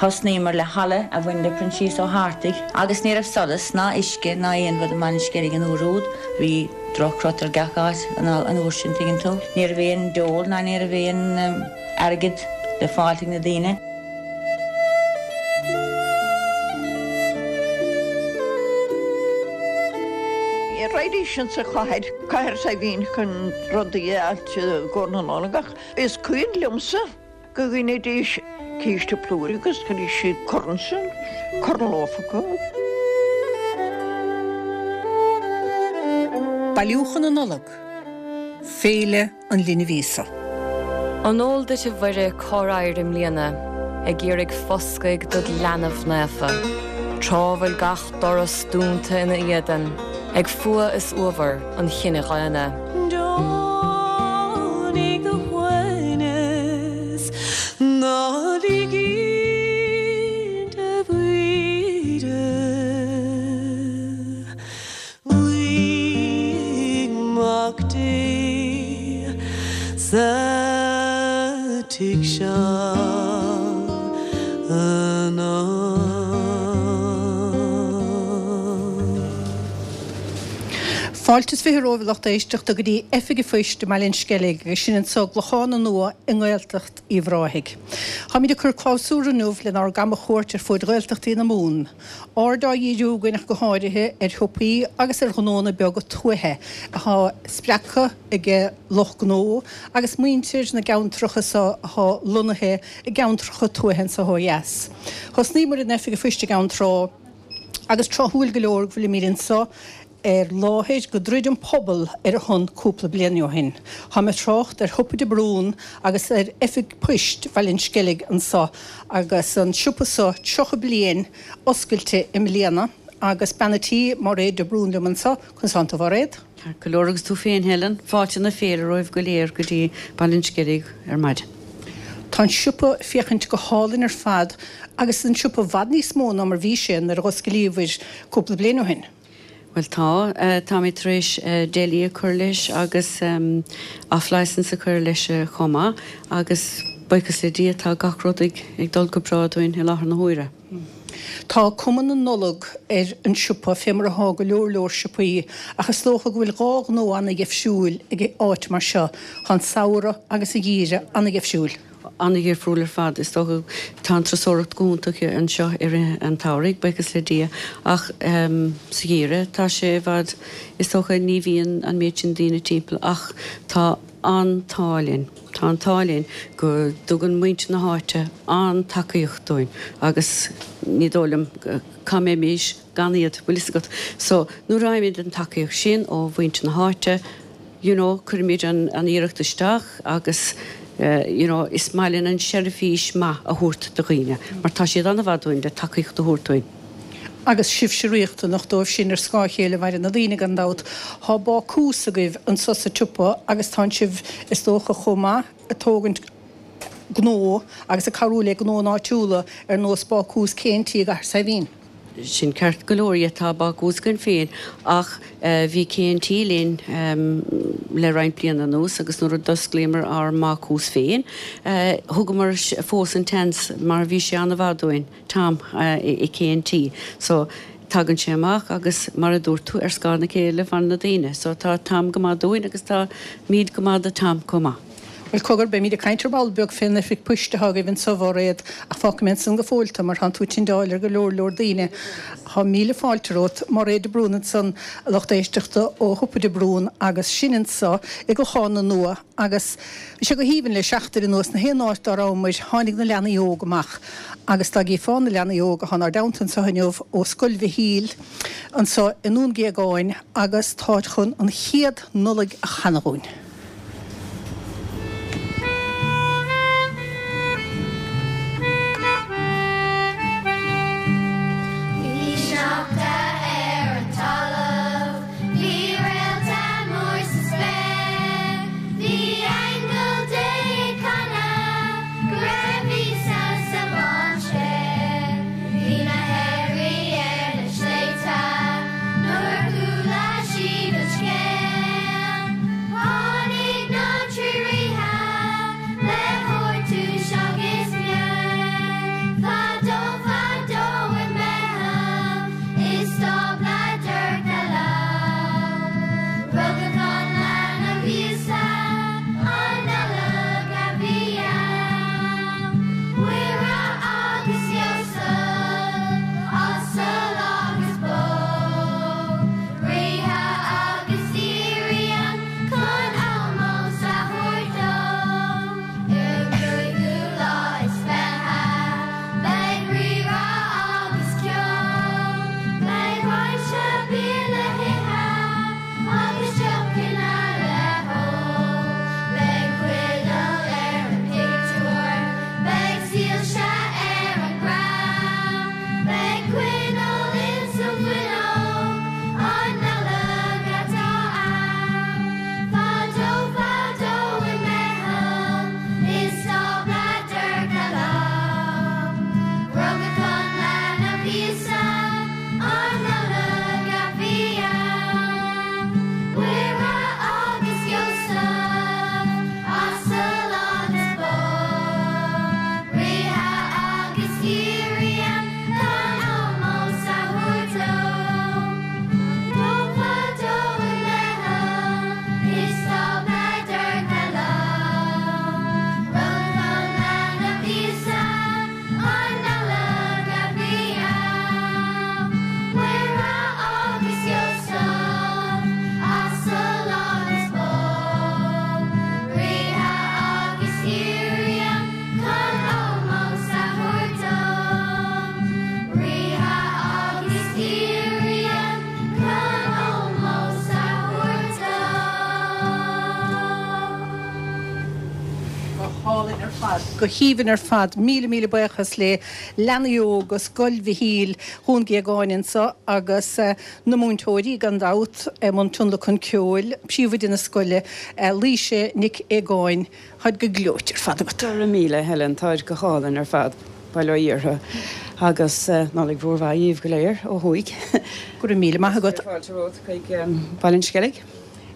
Thosnaíomar le halla a bhain le Proinsias Ó hArtaigh agus ní raibh solas ná uisce ná aon rud i mBaile an Sceilg an uair úd. Bhí droch-chrot ar gach áit an uair sin, tuigeann tú. Ní raibh aon dole ná ní raibh aon airgead le fáilt ag na daoine. Raghaidís insa chathair, Cathair Saidhbhín chun rudaí a fháilt i gcomhair na Nollag ach is cuimhin liomsa go gcoinnidís císte plúir agus chuiridís siad corn san, corn lofa acu. Bailiúchán na Nollag, Féile an Linbh Íosa. An eol duit a Mhuire cár éirigh i mbliana ag iarraidh foscaidh dod leanbh naofa, tráth bhfuil gach doras dúnta ina éadan ag fuath is uabhar an chine dhaonna? Deonaigh do shuaimhneas, ná lig inti a Mhuire. Luigh Mac Dé sa tigh seo anocht. Fáilte is 20 romhaibh a lucht éisteachta go dtí Oifig an Phoist i mBaile an Sceilg agus sin anso i gClochán Nua i nGaeltacht Uíbh Ráthaigh. Táimid ag cur clabhsúr inniu lenár gcamachuairt ar fuaid Ghaeltachtaí na Mumhan. Aird á dhíriú againn ach go háirithe ar shiopaí agus ar ghnónna beaga tuaithe atá spreagtha ag lucht gnó agus muintir na gceantracha so atá lonnaithe i gceantracha tuaithe anso ó dheas. Thosnaíomar in Oifig an Phoist i gCeann Trá agus tráthúil go leor go bhfuilimid anso ar láthair go dtroid an pobal ar a shon cúpla bliain ó shin. Táim ag trácht ar Shiopa de Brún agus ar Oifig Poist Bhaile an Sceilg anso agus an siopa so 30 bliain oscailte i mbliana agus bean a' tí, Máiréad de Brún liom anso. Conas tánn tú a Mháiréad? Ceart go leor agus tú féin Helen? Fáilte na féile romhaibh go léir go dtí Baile an Sceilg ar maidin. Tá an siopa ag féachaint go hálainn ar fad agus an siopa i bhfad níos mó ná mar bhí sé nuair a dh'osclaíobhair cúpla bliain ó shin. Bhuel tá. Táimid tar éis deli a cur leis agus off licence a cur leis chomh maith agus buíochas le Dia tá gach rud ag dul go breá dúinn i láthair na huaire. Tá cuma na Nollag ar an siopa fé mar athá go leor leor siopaí ach is dócha go bhfuil dhá ghnó ana-dheifriúil ag áit mar seo, tá an samhradh agus an geimhreadh ana-dheifriúil. An-dhifriúil ar fad. Is dócha, tá an turasóireacht go hiontach anseo i rith an tsamhraidh, buíochas le Dia, ach sa gheimhreadh tá sé i bhfad, is dócha, ní bhíonn an méid sin daoine timpeall ach tá an t-ádh linn, tá an t-ádh linn go dtugann muintir na háite an-tacaíocht dúinn agus ní dóigh liom cá mbeimis gan iad, bhfuil fhios agat. So, nuair a fhaighimid an tacaíocht sin ó mhuintir na háite, you know, cuirimid an iarracht isteach agus you know, is maith linn an seirbhís maith a thabhairt do dhaoine mar tá siad an-mhaith dúinn le tacaíocht a thabhairt dúinn. Agus sibhse riachtanach dóibh sin ar scáth a chéile mhaireann na daoine gan dabht. Tá bácús agaibh anso sa tsiopa agus tánn sibh is dócha chomh maith ag tógaint gnó agus ag cabhrú le gnónna áitiúla ar nós bácús K&T i gCathair Saidhbhín. Sin ceart go leor, yeah, tá bácús againn féin ach bhí K&T linn le roinnt bliana anuas agus nuair a d'osclaíomar ár mbácús féin, thugamar fós an seans mar bhí sé an-mhaith dúinn, Tom i K&T. So, tagann sé amach agus mar a dúirt tú, ar scáth na céile a fhanann na daoine. So, tá Tom go maith dúinn agus táimid go maith do Tom chomh maith. Bhuel, cogar, beimid ag caint ar ball beag fén oifig poist atá agaibh anso, a Mháiréad, ach fágfaidh mé ansan go fóill tú, mar tánn tú ag tindeáil ar go leor leor daoine. Tá míle fáilte romhat. Máiréad de Brún ansan, a lucht éisteachta, ó Shiopa de Brún, agus sin anso i gClochán na Nua, agus bhí sé go haoibhinn le seachtain anuas, na haon áit dá rabhamair, tháinig na leanaí óga amach, agus dá gcífeá na leanaí óga atá inár dteannta anso inniu ó Scoil Mhichíl anso i nDún Géagáin, agus táid chun an chéad Nollaig a chanadh dhúinn. Bhí sneachta ar an talamh, bhí réalta mór sa spéir, bhí aingeal Dé ag canadh go raibh Íosa sa mháinséar. Bhí na haoirí ar na sléibhte nuair a chuala siad an scéal. go haoibhinn ar fad. Míle míle buíochas le leanaí óga Scoil Mhichíl Dhún Géagáin anseo agus na múinteoirí gan dabht i mbun tionlacan ceoil, príomhoide na scoile, Laoise Nic Aogáin. Táid go gleoite ar fad agat. Go raibh míle, Helen, táid go hálainn ar fad, bail ó Dhia orthu. Agus Nollaig mhór mhaith dhíbh go léir ó thuaidh. Go raibh míle maith agat. Fáilte romhat chuig Baile an Sceilg.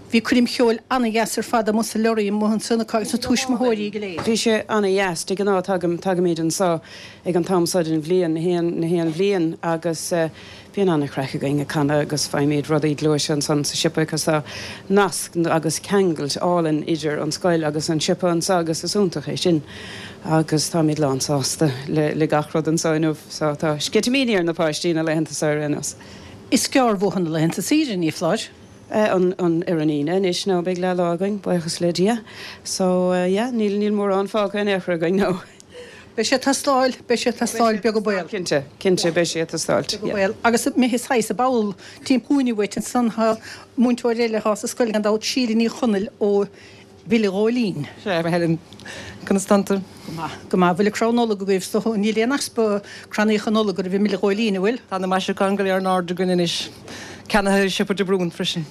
Bhí coirm cheoil ana-dheas ar fad amuigh sa lorry amuigh ansan acu agus na tuismitheoirí go léir. Bhí sé ana-dheas. De ghnáth tagaim, tagaimid anso ag an t-am so den bhliain, na haon, na haon bhliain agus bíonn ana-chraic againn ag canadh agus faighimid rudaí gluaise ansan sa siopa agus tá nasc agus ceangailt álainn idir an scoil agus an siopa anso agus is iontach é sin agus táimid lán sásta le, le gach rud anso inniu so tá sceitimíní ar na páistí na laethanta so ar aon nós. Is gearr uathu na laethanta saoire, ní foláir. an an ar an Aoine anois now beidh leath lá againn, buíochas le Dia. So yeah, níl níl mórán fágtha in aon chor againn now. Beidh sé ag teastáil, beidh sé ag teastáil, beag an baol. Cinnte, cinnte beidh sé ag teastáilt, yeah. Beag an baol. Agus imithe saghas i bpoll timpeall cúinne uait ansan tá múinteoir eile atá sa scoil gan dabht, Síle Ní Chonaill ó Bhile Ghóilín. Sea, a Helen, conas tánn tú? Go maith, go maith. Bhfuil an crann Nollag agaibh is dócha? Níl aon easpa crannaíocha Nollag agaibh i mBile Ghóilín, an bhfuil? Tá na maisiúcháin go léir in airde againn anois. Ceannaithe i siopa De Brún freisin.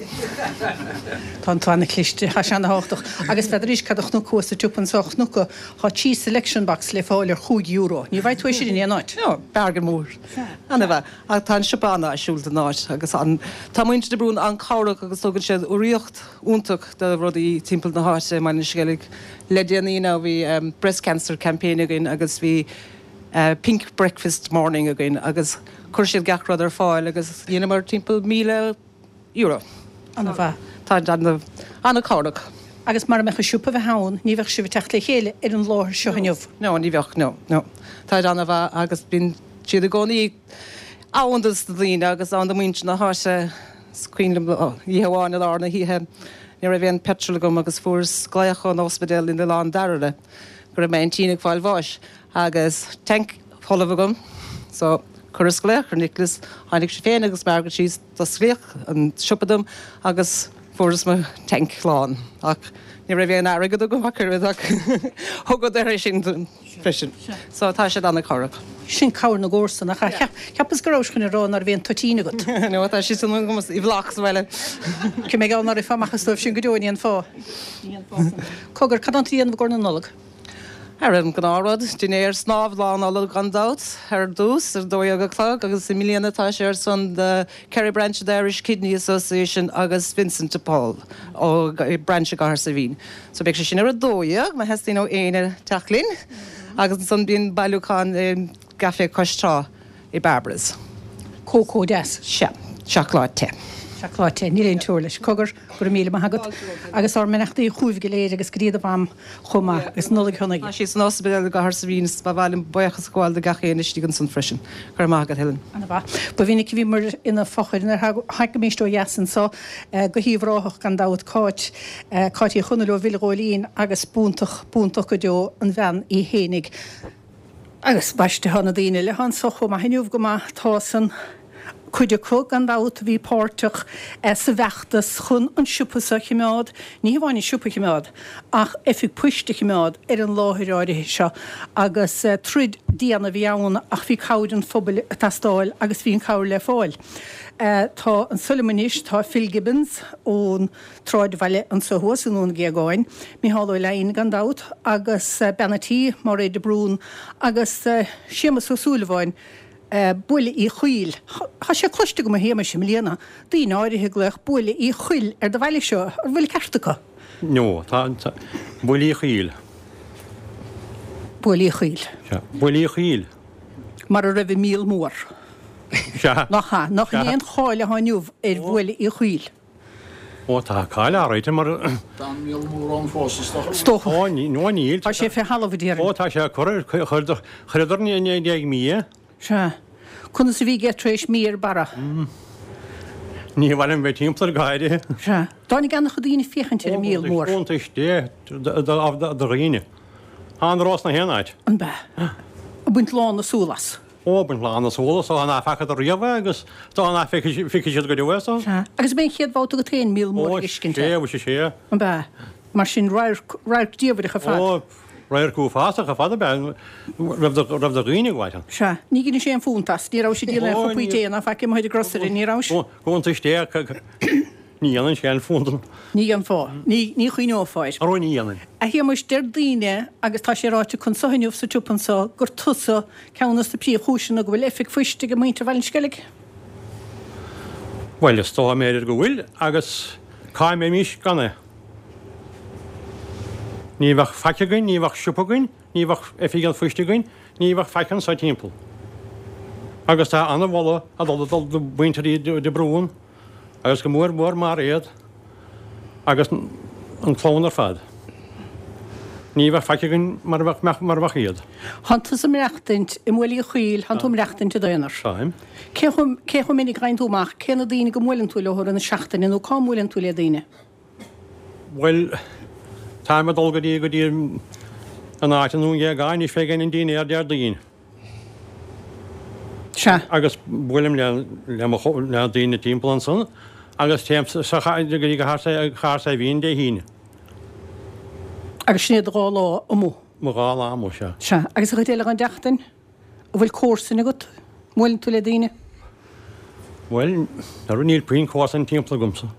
Tá tú ana-chliste, tá sé ana-thábhachtach. Agus n'fheadar cad a chonac thuas sa tsiopa anso, chonac tá cheese selection box le fáil ar chúig euro. Ní bhfaighidh tú é sin in aon áit. No, bargain mór. Ana-mhaith. Ach tá an siopa an-áisiúil don áit agus an, tá muintir De Brún an-chabhrach agus tugann siad urraíocht iontach do rudaí timpeall na háite i mBaile an Sceilg. Le déanaí now bhí breast cancer campaign againn agus bhí pink breakfast morning againn agus chuir siad gach rud ar fáil agus dheineamar timpeall €1,000. Ana-mhaith. Tá siad an-chabhrach. Agus mara mbeadh an siopa a bheith ann ní bheadh sibh ag teacht le chéile ar an láthair seo inniu. No, ní bheadh, no, no. Tá siad ana-mhaith agus bíonn siad i gcónaí ann dos na daoine agus ann do mhuintir na háite. Is cuimhin liom oíche amháin i lár na hoíche ní raibh aon petrol agam agus fuaireas glaoch ón ospidéal in Oileán Dairbhre go raibh m'aintín ag fáil bháis. Agus tank folamh agam so chuireas glaoch ar Nicholas, tháinig sé féin agus Margaret síos, d'osclaíodh an siopa dom agus fuaireas mo tank lán. Ach ní raibh aon airgead agam ach oiread ach thugadar é sin dom freisin. So tá siad an-chabhrach. Sin cabhair na gcomharsan, nach ea? Cheapas go rabhais chun a rá ná raibh aon toitín agat. No, tá sé sin agam i bhfleá sa bhaile. Cé mé ná rithfeá amach as dóibh sin go deo, ní an fáth. Ní an fáth san. Cogar, cad tánn tú a dhéanamh i gcomhair na Nollag? Ar an ngnáthrud, dinnéar snámh Lá Nollag gan dabht, ar dtús, ar 12 a chlog agus i mbliana tá sé ar son the Kerry Branch of the Irish Kidney Association agus Vincent de Paul ó Branch i gCathair Saidhbhín. So beidh sé sin ar 12, má theastaíonn ó éinne teacht linn agus ansan bíonn bailiúchán i gCaifé Cois Trá. i Barbara's. Cócó deas. Sea. Seacláid te. Seacláid te. Níl aon teora leis. Cogar, go raibh míle maith agat. Agus ár mbeannachtaí chugaibh go léir agus go dtí do mham chomh maith. Agus Nollaig shona. Tá sí san ospidéal i gCathair Saidhbhín is ba mhaith liom buíochas a ghabháil do gach éinne istigh ansan freisin. Go raibh maith agat, Helen. Ana mhaith. Ba mhinic a bhíomar ina fochair nuair a thagaimíst ó dheas anso go hUíbh Ráthach gan dabht, Cáit, Cáit Uí Chonaill ó Bhile Ghóilín agus b'iontach, b'iontach go deo an bhean í fhéinig. Agus baiste, tá na daoine eile atá anso chomh maith inniu go maith, tá san, cuid acu, gan dabht, a bhí páirteach sa bhfeachtas chun an siopa so a chimeád, ní hamháin an siopa a chimeád, ach oifig poist a chimeád ar an láthair áirithe seo. Agus troid dian a bhí ann ach bhí cabhair an phobail ag teastáil agus bhí an cabhair le fáil. Tá anso liom anois, tá Phil Gibbons ón. tSráidbhaile anso thuas i nDún Géagáin, Micheál Ó Leidhin gan dabht, agus bean a' tí, Máiréad de Brún, agus Séamus Ó Súilleabháin, Buaile Uí Chaoil. Tá sé cloiste agam a Shéamais i mbliana, daoine áirithe ag glaoch Buaile Uí Choill ar do bhaile seo, an bhfuil ceart acu? No, tá, Buaile Uí Chaoil. Buaile Uí Chaoil. Sea, Buaile Uí Chaoil. Mar a raibh an míol mór. Sea. Nach ea? Nach in é an cháil atá inniu ar Bhuaile Uí Chaoil? Ó tá cáil áirithe mar. Tá an míol mór ann fós is dócha. Is dócha. Ó no níl. Tá sé fé thalamh a déarfainn. Ó tá sé curtha, chuireadar i ndiaidh mí é. Sea. Conas a bhí aige tar éis mí ar barra? Ní mhaith liom bheith timpeall air go háirithe. Sea. Dtáinig an-chuid daoine féachaint ar an míol mór. Ó iontais Dé do dhaoine. Tá an rós 'na haon áit. An b'ea? Ag baint lán na súl as. Ó, baint lán na súl as, dóigh ná facadar riamh é agus dóigh ná feicfidh siad go deo é so. Sea. Agus ab é an chéad bhabhta agat féin míol mór a fheiscint? Ó, sea, sea. An b'ea? Mar sin, radharc, radharc diamhrach ar fad. Ó, Radharc uafásach ar fad ab ea raibh do dhaoine ag gabháil ann. Sea. Ní dheinis aon phunt as. Ní rabhais ag díol aon chupaí tae ná faic amuigh ar an grocery, ní rabhais? Cuntais tae, ní dhéanann sé aon phunt. Ní dhéanfá. Ní chuimhneofá air. Arú ní dhéanfainn. A Shéamuis, deir daoine, agus tá sé ráite acu anso inniu sa tsiopa anso, gur tusa ceann dos na príomhchúiseanna go bhfuil oifig phoist ag muintir Bhaile an Sceilg. Bhuel, is dócha b'fhéidir go bhfuil, agus cá mbeimis gan é? Ní bheadh faic againn, ní bheadh siopa againn, ní bheadh oifig an phoist againn, ní bheadh faic anso timpeall. Agus tá ana-mholadh ag dul dul do mhuintir de Brún agus go mór mór Mairéad agus an clann ar fad. Ní bheadh faic againn mara bheadh mara bheadh iad. Thánn tusa ag maireachtaint i mBaile Uí Chaoil, thánn tú ag maireachtaint i d'aonar. Táim. Cé chomh cé chomh minic a ghabhann tú amach, cé na daoine go mbuaileann tú leo i rith na seachtaine nó cá mbuaileann tú le daoine? Bhuel, táim ag dul go dtí, go dtí an áit i nDún Géagáin anois fé dhéin an dinnéar Déardaoin. Sea. Agus buailim le, le mo, le daoine timpeall ansan agus téim sa, sa, go dtí Cathair Saidhbhín Dé hAoine. Agus sin iad do dhá lá amuigh? Mo dhá lá amuigh, sea. Sea. Agus an chuid eile den tseachtain? An bhfuil comharsain agat? An mbuaileann tú le daoine? Bhuel, ara níl puinn comharsain timpeall agamsa.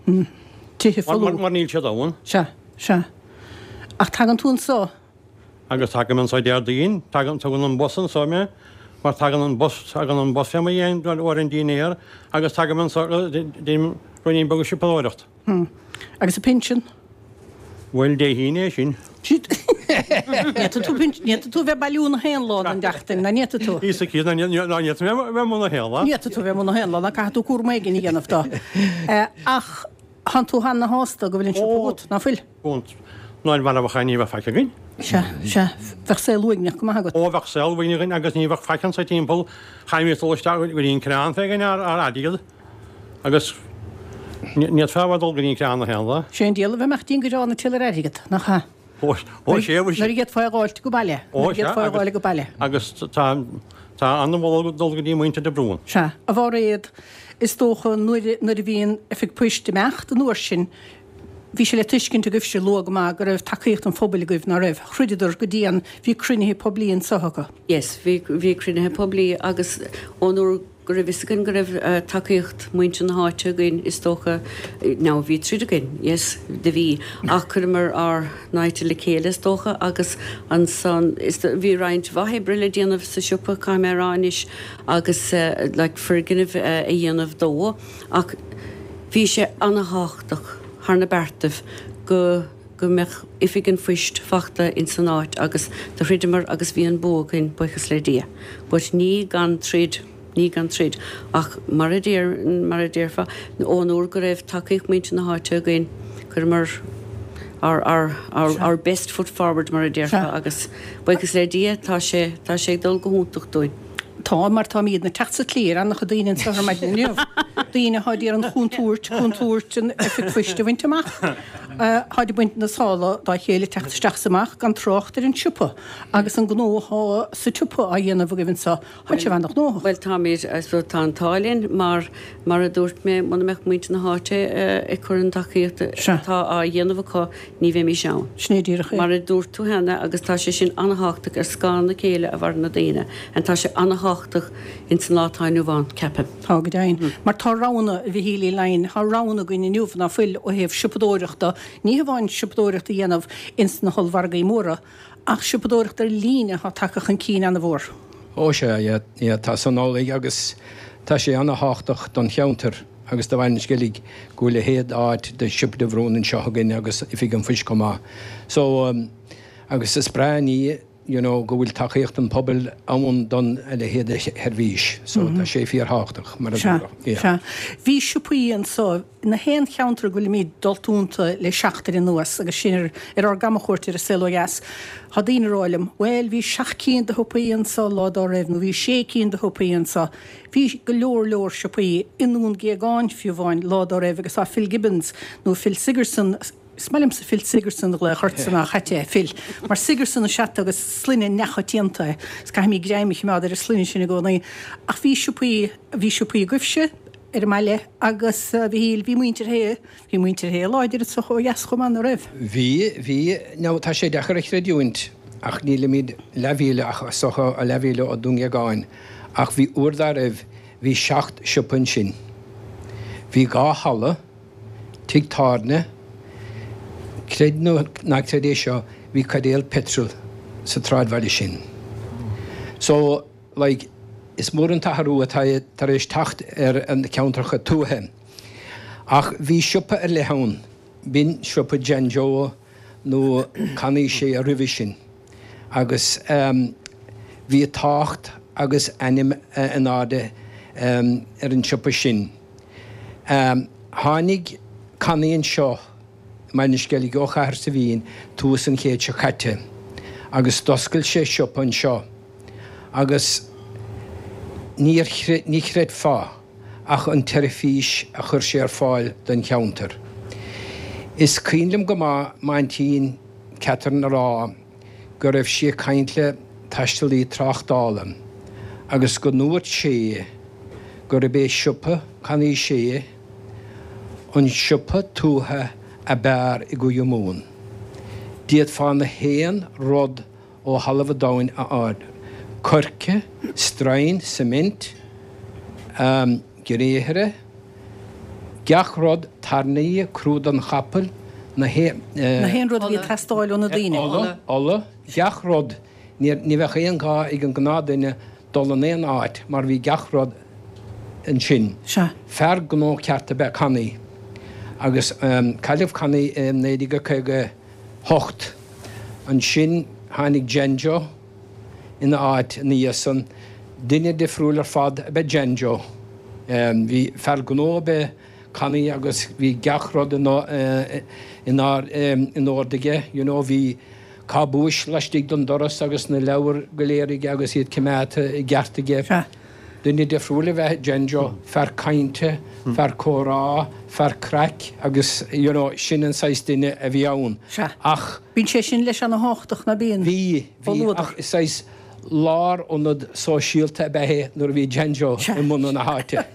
Tithe folamh. Mar níl siad ann. Sea, sea. Ach tagann tú anso? Agus tagaim anso Déardaoin, tagann, tugann an bus anso mé, mar tagann an bus, tagann an bus fé mo dhéin uair an dinnéar agus tagaim anso, déanaim ruainnín beag siopadóireacht. Agus an pinsean? Bhuel, Dé hAoine é sin. Ní fhéadfaidh tú a bheith ag bailiú na haon lá den tseachtain, ná ní fhéadfaidh tú? Íosa Críost, ná ní fhéadfaidh mé a bheith amuigh na haon lá. Ní fhéadfaidh tú a bheith amuigh na haon lá, ná caithfidh tú cúram éigin a dhéanamh dó. Ach thánn tú ana-shásta go bhfuil an siopa agat, ná fuil? Ná mara bheadh ní bheadh faic againn. Sea, sea. Bheadh saol uaigneach go maith agat. Ó, bheadh saol uaigneach againn agus ní bheadh faic anso timpeall. Chaithfimis dul isteach go dtí an crann fé dhéin ár airgead. Agus ní fhéadfá a bheith ag dul go dtí an crann na haon lá. Sé an diabhal a bheith amach dtí an gcrann ag triall ar airgead, nach ea? Ó, sé, ó, sé. Nuair a d'fhéadfá é a dh'fháilt go baile. Ó, Nuair a d'fhéadfá é a dh'fháil go baile. Agus tá, tá an-mholadh ag dul go dtí muintir de Brún. Sea, a Mhairéad, is dócha nuair, nuair a bhí an Oifig Poist ag imeacht an uair sin, bhí sé le tuiscint agaibhse luath go maith go raibh tacaíocht an phobail agaibh, ná raibh? Throideadar go dian, bhí cruinnithe poiblí anso acu. Yes, bhí, bhí cruinnithe poiblí agus ón uair go raibh fhios againn go raibh tacaíocht muintir na háite againn is dócha, now bhí troid againn, yes, do bhí, ach chuireamar ár n-aite le chéile is dócha agus ansan is bhí roinnt mhaith oibre le déanamh sa siopa caithfidh mé a rá anois agus like foirgneamh a dhéanamh dó ach bhí sé ana-thábhachtach thar na beartaibh go go mbeadh oifig an phoist fachta ins an áit agus do throideamar agus bhí an bua againn, buíochas le Dia. But ní gan troid, ní gan troid. Ach mar a deir, mar a déarfá, ón uair go raibh tacaíocht muintir na háite againn, chuireamar our, our, our, our best foot forward mar a déarfá agus buíochas le Dia tá sé, tá sé ag dul go hiontach dúinn. Tá, mar táimidne ag teacht sa tslí ar an-chuid daoine anseo ar maidin inniu. Daoine atá ag iarraidh an chontúirt, contúirt an oifig phoist a bhaint amach. Táid ag baint na sála dá chéile ag teacht isteach is amach, gan trácht ar an tsiopa agus an gnó atá sa tsiopa á dhéanamh agaibh anseo. Tá sibh ana-ghnóthach. Bhuel, táimid, I suppose, tá an t-ádh linn mar, mar a dúirt mé, muna mbeadh muintir na háite ag cur an tacaíocht atá á dhéanamh acu, ní bheimis ann. Sin é díreach é. Mar a dúirt tú cheana, agus tá sé sin an-thábhachtach, ar scáth na céille a mhaireann na daoine, and tá sé an-thábhachtach ins an lá atá inniu ann, ceapaim. Tá, go deimhin. Mar tá roghanna, a Mhichíl Uí Leighin, tá roghanna againn inniu ná fuil ó thaobh siopadóireachta, ní hamháin siopadóireacht a dhéanamh ins na hollmhargaí móra, ach siopadóireacht ar líne atá tagtha chun cinn an-mhór. Ó sea, yeah, yeah, tá san amhlaidh agus tá sé an-thábhachtach don cheantar. Agus do Bhaile an Sceilg go bhfuil a leithéid d'áit de Siopa de Bhrún anseo againn agus Oifig an Phoist chomh maith. So, agus is breá an ní you know go bhfuil tacaíocht an phobail ann don a leithéid de sheirbhís. So tá sé fíorthábhachtach, mar a Sea, dúradh. Yeah. sea. Bhí siopaí anso na haon cheantar go bhfuilimid dulta iontu le seachtain anuas agus sinn ar ar ár gcamachuairt ar an saol ó dheas. Tá daoine ag rá liom, bhuel, bhí seacht cinn de shiopaí anso lá dá raibh nó bhí sé cinn de shiopaí anso. Bhí go leor leor siopaí i nDún Géagáin fiú amháin lá dá raibh agus tá Phil Gibbons nó Phil Sigerson, is maith liomsa Phil Sigerson a ghlaoch ortsa ná a chaite, Phil, mar Sigerson is ea tú agus sloinne neamhchoitianta é is caithfimid greim a choimeád ar an sloinne sin i gcónaí. Ach bhí siopaí, bhí siopaí agaibhse ar an mbaile agus a Mhichíl, bhí muintir Shé, bhí muintir Shé láidir anseo ó dheas chomh maith, ná raibh? Bhí, bhí, now tá sé deacair a chreidiúint. ach nílimid leathmhíle ach is dócha leathmhíle ó Dún Dheagáin ach bhí uair dá raibh bhí seacht siopa ansin. Bhí 2 halla, tigh tábhairne, creid nó ná creid é seo bhí caidéal peitril sa tsráidbhaile sin. So, like, is mór an t-athrú atá tar éis teacht ar na ceantracha tuaithe. Ach bhí siopa ar leith ann, b'in siopa Jan Joe nó Connie Shea roimhe sin agus bhí tábhacht agus ainm in airde ar an siopa sin. Tháinig Connie anseo i mBaile an Sceilg ó Chathair Saidhbhín tús an chéid seo caite agus d'oscail sé siopa anseo agus níor, ní chreidfeá ach an tseirbhís a chuir sé ar fáil don cheantar. Is cuimhin liom go maith m'aintín Catherine a rá go raibh sí ag caint le taistealaí tráchtála agus go ndúirt sé gurb é siopa Connie Shea an siopa tuaithe ab fhearr i gCúige Mumhan. D'fhéadfá na haon rud ó thalamh an domhain a fháil, coirce, stroighin, cement, gréithre, gach rud, tairní, crú don chapall, na haon. Na haon rud a bhí ag teastáil ó na daoine. Ola, ola, gach rud. Ní bheadh aon ghá ag an gnáthdhuine dul in aon áit mar bhí gach rud ansin. Sea. Fear gnó ceart ab ea Connie agus cailleadh Connie i 1950. 8. Ansin tháinig Janjo ina áit ina dhiaidh san. Duine difriúil ar fad ab ea Janjo. Bhí fear gnó ab ea Connie agus bhí gach rud in in ord aige, you know, bhí cábúis laistigh den doras agus na leabhair go léir aige agus iad coimeádta i gceart aige. Duine difriúil ab ea Janjo, fear cainte, fear comhrá, fear craic agus you know sin an saghas duine a bhí ann. Sea. Ach. Bíonn sé sin leis ana-thábhachtach, ná bíonn? Bhí, bhí, ach saghas lárionad sóisialta ab ea é nuair a bhí Janjo i mbun na háite.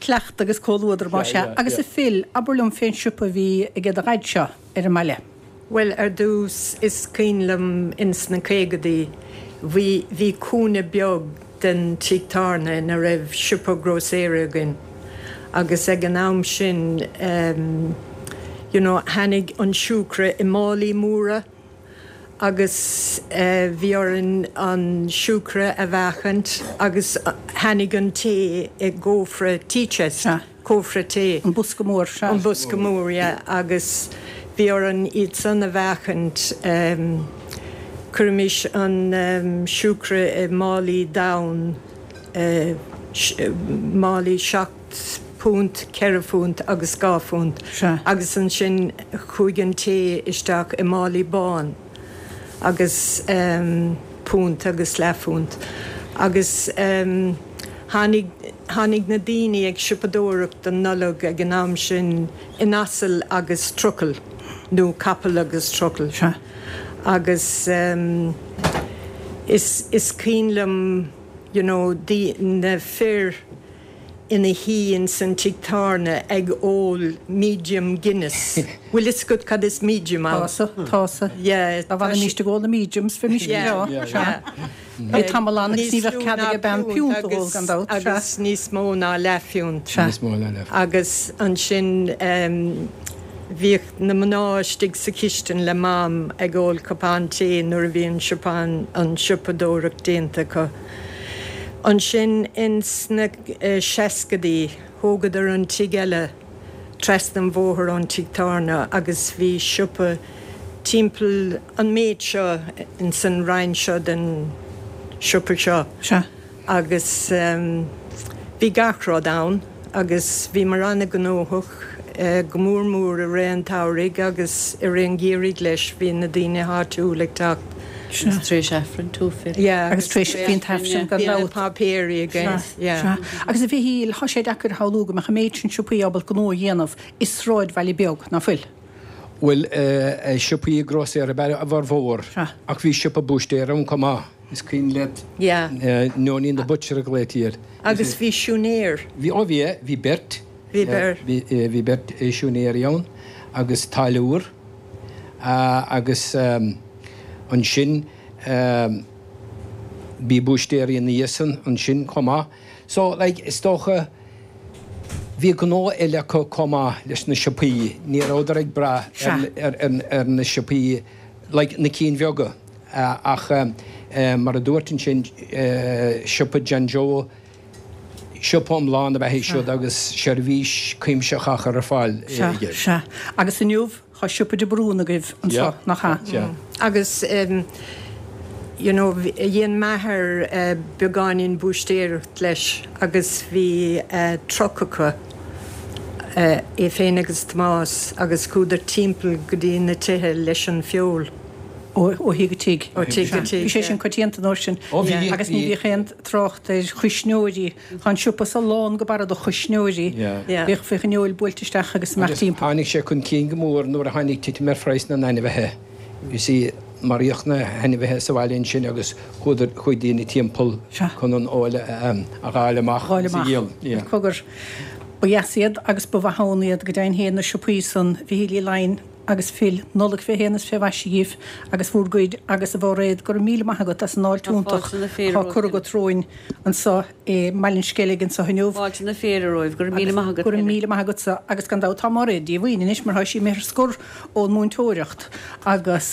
Cleachtadh agus comhluadar, más ea. Agus a Phil, abair liom fén siopa a bhí aige do dhaid seo ar an mbaile. Bhuel, ar dtús, is cuimhin liom ins na caogadaí, bhí, bhí cúinne beag den tigh tábhairne ina raibh siopa grósaera againn agus ag an am sin em you know tháinig an siúcra i málaí móra agus eh bhí orainn an siúcra a mheáchaint agus tháinig an tae i gcófra tea chest. cófra tae. An bosca mór, sea. An bosca mór, yeah, agus bhí orainn iad san a mheáchaint. Chuirimis an siúcra i málaí donn, málaí seacht bpunt, ceithre phunt agus dhá phunt. Sea. Agus ansin chuaigh an tae isteach i málaí bán agus punt agus leathphunt. Agus tháinig. Tháinig na daoine ag siopadóireacht don Nollaig ag an am sin in asal agus trucail, nó capall agus trucail. Sea. Agus is, is cuimhin liom, you know, na fir ina shuí ins an tigh tábhairne ag ól medium Guinness. Bhfuil fhios agat cad is medium ann? Tá, tá. Yeah. Dá bhfanfaimíst ag ól na mediums, bheimís go breá. Yeah. Bhí tamall ann agus ní bheadh cead ag bean piúnt a ól gan dabht. Sea. Agus níos mó ná leathphiúnt. Sea. Níos mó ná leathphiúnt. Agus ansin bhíodh na mná istigh sa chistin le Mam ag ól cupán tae nuair a bhí an siopa, an siopadóireacht déanta acu. Ansin ins na seascadaí thógadar an tigh eile trasna an bhóthair ón tigh tábhairne agus bhí siopa timpeall an méid seo ins an roinn seo den siopa seo. Sea. Agus bhí gach rud ann agus bhíomar an-ghnóthach, go mór mór i rith an tsamhraidh agus i rith an gheimhridh leis, bhí na daoine áitiúil ag teacht. Sea. Agus tar éis Aifrinn too, Phil. Yeah. Agus tar éis, bhí an t-Aifreann gan Bhí na dabht. páipéirí againn, Sea, yeah. sea. Agus a Mhichíl, thá sé deacair a shamhlú go mbeadh an méid sin siopaí ábalta gnó a dhéanamh i sráidbhaile beag, ná fuil? Bhuel, siopaí grósaera ab ea a bhformhór, ach bhí siopa búistéara ann chomh maith, is cuimhin leat? Yeah. Neoinín the Butcher a ghlaoití air. Agus bhí siúinéir. Bhí, ó bhí, bhí beirt. Bhí beirt. Bhí beirt siúinéirí ann agus táilliúir agus. Ansin bhí búistéirí ina dhiaidh san ansin chomh maith. So, like, is dócha bhí gnó eile acu chomh maith leis na siopaí, ní rabhadar ag brath ar na siopaí, like, na cinn bheaga. Ach mar a dúirt ansin, siopa John Joe, siopa iomlán ab ea é siúd agus seirbhís cuimsitheach á chur ar fáil aige. Sea, sea. Agus inniu, Tá siopa de Brún agaibh anseo, nach ea? Agus you know dhein m'athair beagáinín búistéireacht leis agus bhí truck acu, é féin agus Tomás, agus chuadar timpeall go dtí na tithe leis an feoil. Ó thigh go tigh. Ó tigh go tigh. Bhí sé sin coitianta an uair sin. Ó bhí. Agus ní bhíodh aon trácht ar chuisneoirí. Tá an siopa so lán go barra de chuisneoirí. Bhíodh bhíodh an fheoil buailte isteach agus amach Agus timpeall. tháinig sé chun cinn go mór nuair a tháinig titim ar phraghas na n-ainmhithe. You see, maraíodh na hainmhithe sa bhaile ansin agus chuadar, chuaigh daoine timpeall chun an fheoil a dh'fháil amach Dh'fháil agus a amach. dhíol. Yeah. Cogar, ba dheas iad agus ba mhaith ann iad go deimhin féin na siopaí san, Mhichíl Uí Laighin agus Phil, Nollaig fé shéan is fé mhaise dhíbh agus bhúr gcuid agus a Mhairéad, go raibh míle maith agat as an fháilte Tá iontach fáilte na féile atá romhat, curtha agat romhainn anseo i mBaile an Sceilg anseo inniu. Fáilte na féile romhaibh. Go raibh míle maith agat, Go raibh Helen. míle maith agatsa agus gan dabht tá Mairéad díomhaoin anois mar tá sí imithe ar scor ón múinteoireacht agus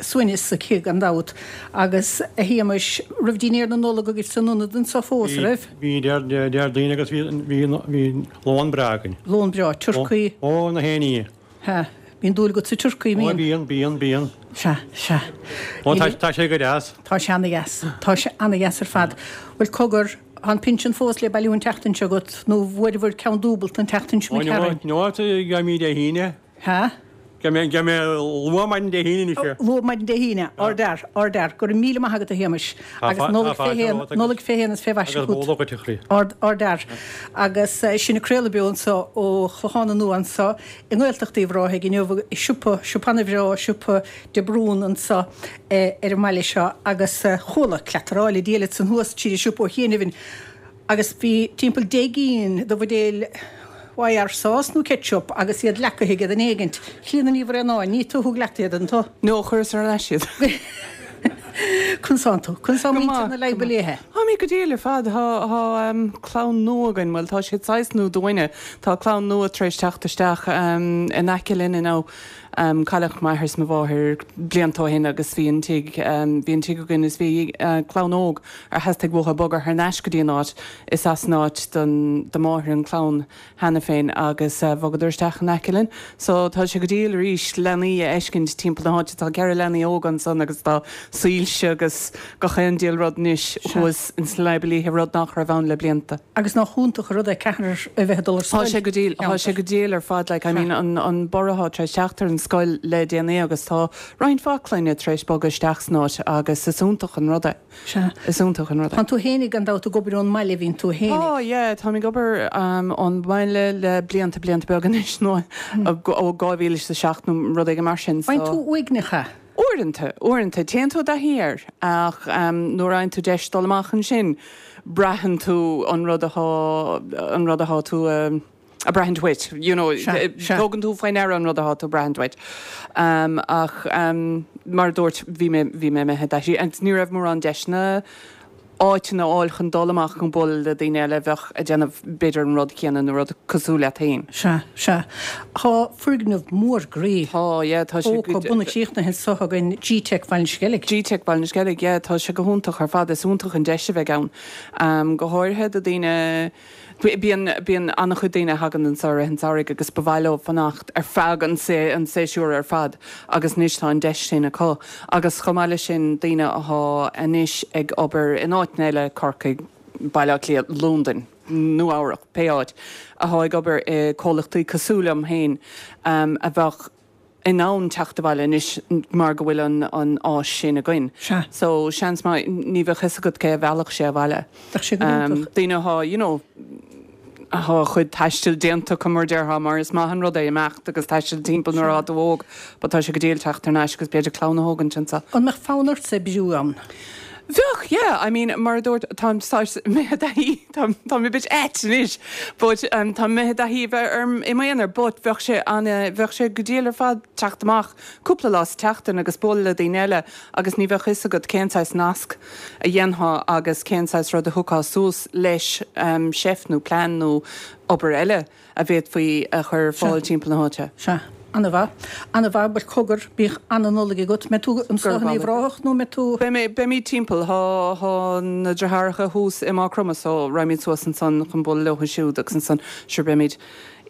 suaimhneas aici gan dabht. Agus a Shéamais, raibh dinnéar na Nollag agaibh san ionad anseo fós, an raibh? Bhí, Déardaoin agus bhí, bhí, bhí lón breá againn. Lón breá, turcaí. Ó, na haon ní. Sea. Bíonn dúil agat sa turcaí, an mbíonn? Ó, bíonn, bíonn, bíonn. Sea, sea. Ó, tá, tá sé go deas. Tá sé ana-dheas. Tá sé ana-dheas ar fad. Bhuel, cogar, tá an pinsean fós le bailiú an tseachtain seo agat, nó bhfuaireabhair ceann dúbailt an tseachtain seo Ó, imigh tharainn? no, no, gheobhaimid Dé hAoine. Sea? Gheobhaidh mé, gheobhaidh mé luath maidin Dé hAoine anois é. Luath maidin Dé haoine. Ardfhear, ardfhear. Go raibh míle maith agat, a Shéamais. Tá Agus Nollaig tá fé fáilte shéan, romhat agus Nollaig fé shéan is fé mhaise agus chugat. bó dhuit, a chroí. Ard, ardfhear. Agus sinn ag craoladh beo anseo ó Chlochán Nua anseo i nGaeltacht Uíbh Ráthaigh inniu i siopa, siopa ana-bhreá, siopa de Brún anseo ar an mbaile seo agus chuala cleataráil ag díol ansan thuas tríd an siopa ó chianaibh agus bhí timpeall 10 gcinn de bhuidéil YR sauce nó ketchup agus iad leacaithe aige duine éigint. Clíona Ní Bhraonáin, ní tú a thug leat iad, an tú? No, chuireas ar ais iad. Conas tánn tú? Conas tá Go muintir maith, na go Leidhbe maith. Léithe? Táimid go diail ar fad. Tá, tá clann nua againn, bhuel tá siad saghas nua dúinne. Tá clann nua tar éis teacht isteach in aice linn inniu. Cailleadh m'athair is mo mháthair blianta ó shin agus bhí an tigh, bhí an tigh againn is bhí clann óg ar theastaigh uathu bogadh thar n-ais go dtí an áit. Is as an áit don, do mháthair an clann cheana féin agus bhogadar isteach in aice linn. So tá sé go diail arís leanaí a fheiscint timpeall na háite. Tá 4 leanaí óga ansan agus tá soilse agus gach aon diabhal rud anois thuas ins na Leidhbe Liatha, rud nach raibh ann le blianta. Agus nach iontach an rud é ceathrar a bheith ag dul ar Tá scoil sé go diail, tá sé go diail ar fad like I mean an, an borradh atá tar éis teacht ar an scoil le déanaí agus tá roinnt mhaith clainne tar éis bogadh isteach san áit agus is iontach an rud é. Sea. Is iontach an rud é. Tánn tú fhéinig gan dabht ag obair ón mbaile, bhíonn tú fhéinig. Tá, yeah, táim ag obair ón mbaile le blianta, blianta beaga anois, nó ó 2007 nó rud éigin mar sin, so. Faigheann tú uaigneach é? Uaireanta, uaireanta. Téann tú i dtaithí air, ach nuair a fhaigheann tú deis dul amach ansin, braitheann tú an rud athá, an rud athá tú a. ag braithint uait, you know, tógann tú faoi ndeara an rud atá tú ag braithint uait. Ach mar a dúirt, bhí mé, bhí mé imithe i dtaithí agus ní raibh mórán deiseanna áiteanna a fháil chun dul amach chun bualadh le daoine eile a bheadh ag déanamh b'fhéidir an rud céanna nó rud cosúil leat féin. Sea, sea. Tá foirgneamh mór groí. Tá, yeah, tá sé. Óca bunaithe críochnaithe anseo againn, G-Tech Bhaile an Sceilg. G-Tech Bhaile na Sceilg, yeah, tá sé go hiontach ar fad. Is iontach an deis a bheidh ann, go háirithe do daoine, Bíonn, bíonn an-chuid daoine a thagann anseo i rith an tsamhraidh agus ba mhaith leo fanacht ar feadh an an séasúr ar fad agus anois tá an deis sin acu. Agus chomh maith leis sin, daoine athá anois ag obair in áiteanna eile, Corcaigh, Baile Átha Cliath, Londain, Nua Eabhrac, pé áit, athá ag obair i comhlachtaí cosúil liom féin, a bheadh, in ann teacht abhaile anois mar go bhfuil an an áis sin againn. Sea. So seans maith ní bheadh fhios agat cé a mheallfadh sé abhaile. Bheadh sé go hiontach. Daoine athá, you know, athá a chuid taistil déanta acu mar déarfá mar is maith an rud é imeacht agus taisteal timpeall nuair athá tú óg but tá sé go diail teacht thar n-ais agus b'fhéidir clann a thógaint anseo. An mbeadh fonn ortsa oibriú ann? Bheadh, yeah. I mean, mar a dúirt, táim saghas imithe i dtaithí, táim, táim a bit ait anois, but um, táim imithe i dtaithí a bheith orm i m'aonar, but bheadh sé an, bheadh sé go diail ar fad teacht amach cúpla lá sa tseachtain agus bualadh le daoine eile agus ní bheadh fhios agat cén saghas nasc a dhéanfá agus cén saghas rud a thiocfá suas leis, um, seift nó plean nó obair eile. a bhféadfaí a chur ar fáil timpeall na háite. Sea. Ana-mhaith. Ana-mhaith. Bhuel, cogar, bíodh ana-Nollaig agat. Mbeidh tú anseo in Uíbh Ráthach nó mbeidh tú. Beidh mé, beimid timpeall. Tá, tá na deartháireacha thuas i Maigh Chromtha so raghaimid suas ansan chun bualadh leo siúd agus ansan, sure, beimid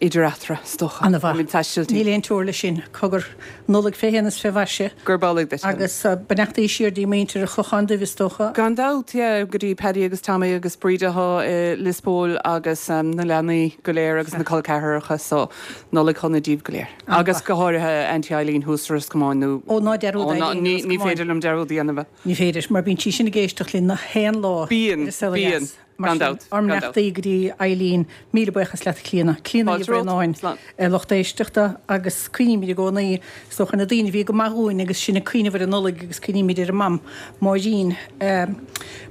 idir eatarthu, is dócha. Ana-mhaith. Beimid ag taisteal timpeall. Níl aon teora leis sin. Cogar, Nollaig fé shéan is fé mhaise. Gurb amhlaidh duit. Agus beannachtaí siar dtí muintir an Chlocháin Duibh is dócha. Gan dabht, yeah, go dtí Paddy agus Tommy agus Bríd athá i Lios Póil agus na leanaí go léir agus na col ceathracha so Nollaig shona díbh go léir. Agus go háirithe Auntie Eileen thuas sa Ros Comáin nó Ó ná dearúd Eileen i Ros Comáin. Ní féidir liom dearúd a dhéanamh. Ní féidir, mar bíonn sí sin ag éisteacht linn na haon lá Bíonn, ar an saol ó bíonn. dheas. Mar Gan sin, dabht, ár gan dabht. mbeannachtaí go dtí Eileen. Míle buíochas leat, a Chlíona. Clíona Ní Fáilte romhat. Bhraonáin, Slán. lucht éisteachta, agus cuimhnímid i gcónaí, is dócha, ar na daoine a bhí go maith dhúinn agus sinn ag cuimhneamh ar an Nollaig agus cuimhnímid ar a mam, Máirín,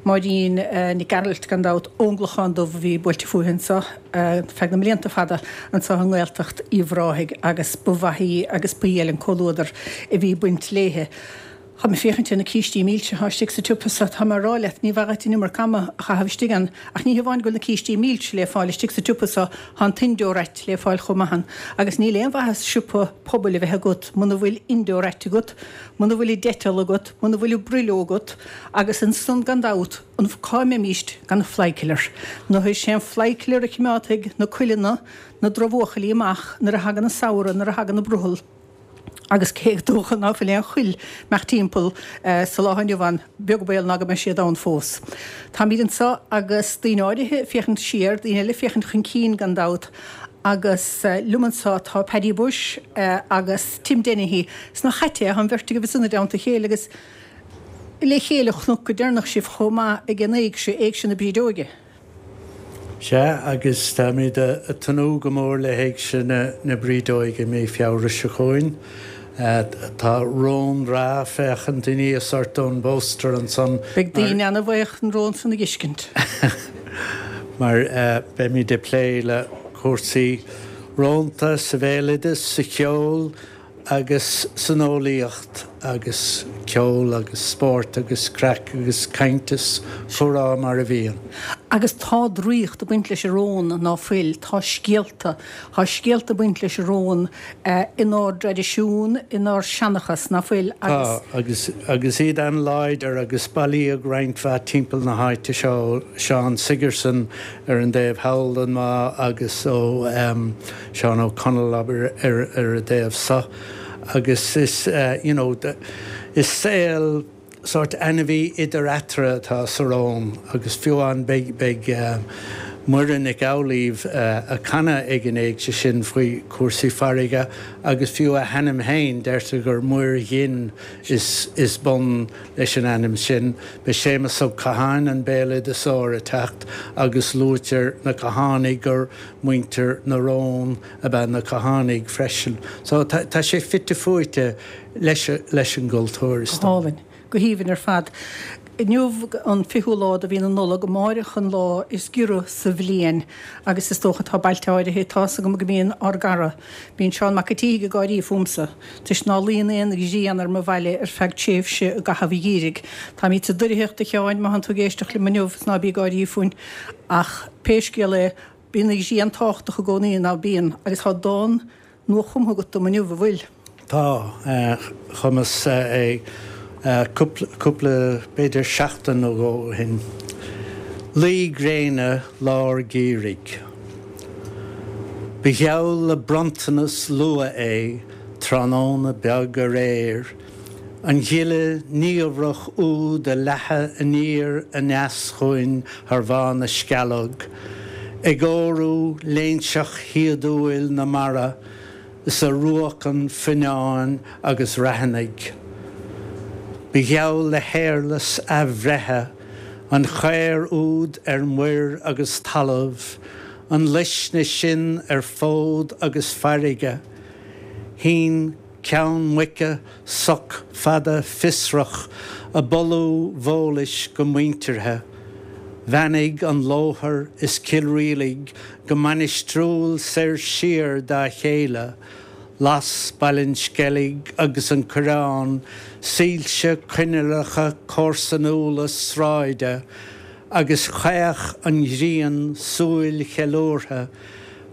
Máirín Nic Gearailt, gan dabht, ón gClochán Dubh a bhí buailte fúithi anseo feadh na mblianta fada anseo i nGaeltacht Uíbh Ráthaigh agus ba mhaith í agus ba dhiail an comhluadar a bhí ag baint léithe. Tá mé ag féachaint ar na cístí milse atá istigh sa tsiopa so, tá mé ag rá leat, ní mhaith dhuit an iomarca ama a chaitheamh istigh ann. Ach ní hamháin go bhfuil na cístí milse le fáil istigh sa tsiopa so, tá an t-indoor rat le fáil chomh maith ann. Agus níl aon mhaitheas siopa pobail a bheith agat muna bhfuil indoor rat agat, muna bhfuil an Dettol agat, muna bhfuil an Brillo agat, agus ansan gan dabht, an, cá mbeimíst gan an flykiller? Nó is é an flykiller a chimeádfaidh na cuileanna, na drochbhuachaillí amach nuair a thagann an samhradh, nuair a thagann an brothall. Agus cé gur dócha ná fuil aon chuil imeacht timpeall sa lá inniu ann, beag baol ná go mbeidh siad ann fós. Táimid anseo agus daoine áirithe ag féachaint siar, daoine eile ag féachaint chun cinn gan dabht, agus liom anseo tá Paddy Bushe agus Tim Dennehy. 'S nach ait é, tá an bheirt agaibh ansan i dteannta a chéile agus le chéile chonac go deireanach sibh chomh maith ag an éigse, Éigse na Brídeoige. Sea, agus táimid ag tnúth go mór le hÉigse na Brídeoige mí Feabhra seo chugainn. Tá rón breá féachaint aníos ort ón bpóstaer ansan. Beidh daoine ana-bhuíoch an rón san a dh'fheiscint. Mar beimid ag plé le cúrsaí rónta sa bhéaloideas, sa cheol, agus san eolaíocht agus ceol agus spórt agus craic agus caint is comhrá mar a bhíonn. Agus tá draíocht ag baint leis an rón, ná fuil? Tá scéalta, tá scéalta ag baint leis an rón inár dtraidisiún, inár seanchas, ná fuil? Agus. Tá, agus, agus iad an-láidir agus bailíodh roinnt mhaith timpeall na háite seo, Seán Sigerson ar an dtaobh thall den bhá agus ó. Seán Ó Conaill, abair, ar an dtaobh seo agus is you know is saol sórt ainmhí idir eatarthu atá sa rón agus fiú amháin beidh beidh Muireann Nic Amhlaoibh ag canadh ag an éigse sin faoi chúrsaí farraige agus fiú a hainm féin deirtear gur Muir Ghin is is bun leis an ainm sin. Beidh Séamus Ó Catháin an béaloideasóir ag teacht agus luaitear na Cathánaigh gur Muintir na rón ab ea na Cathánaigh freisin. So tá tá sé fite fuaite leis leis an gcultúr is Go hálainn. Go haoibhinn ar fad. Inniu an fichiú lá de mhí na Nollag, amáireach an lá is giorra sa bhliain agus is dócha tá bailte áirithe, tá's agam go mbíonn ár gcara, bíonn Seán Mac a' tSíthigh ag gáirí fúmsa, toisc ná luíonn aon ghrian ar mo bhaile ar feadh tréimhse i gcaitheamh an gheimhridh. Táimid sa doircheacht a Sheáin, má thánn tú ag éisteacht liom inniu, is ná bí ag gáirí fúinn ach pé scéal é, Bíonn an ghrian tábhachtach i gcónaí, ná bíonn? Agus tá dán nua-chumtha agat dom inniu, an bhfuil? Tá. Chumas é cúpla, b'fhéidir seachtain nó dhó ó shin. Luí gréine lár geimhridh. Ba gheall le bronntanas luath é tráthnóna beag aréir, An ghile niamhrach úd a leathadh aniar aneas chugainn thar Bhá na Scealg, ag órú léinseach shíodúil na mara is a ruacan fuinneáin agus raithinigh. Ba gheall le héarlais athbhreithe an chaor úd ar muir agus talamh, an luisne sin ar fód agus farraige. Shín. Ceann muice, soc fada fiosrach, a boladh Bhólais go muinteartha. Bheannaigh an Lóthar is Cill Rialaig go mainistriúil soir siar dá chéile. Las Baile an Sceilg agus an Coireán soilse coinnealacha comharsanúla sráide agus chaoch an ghrian súil cheiliúrtha,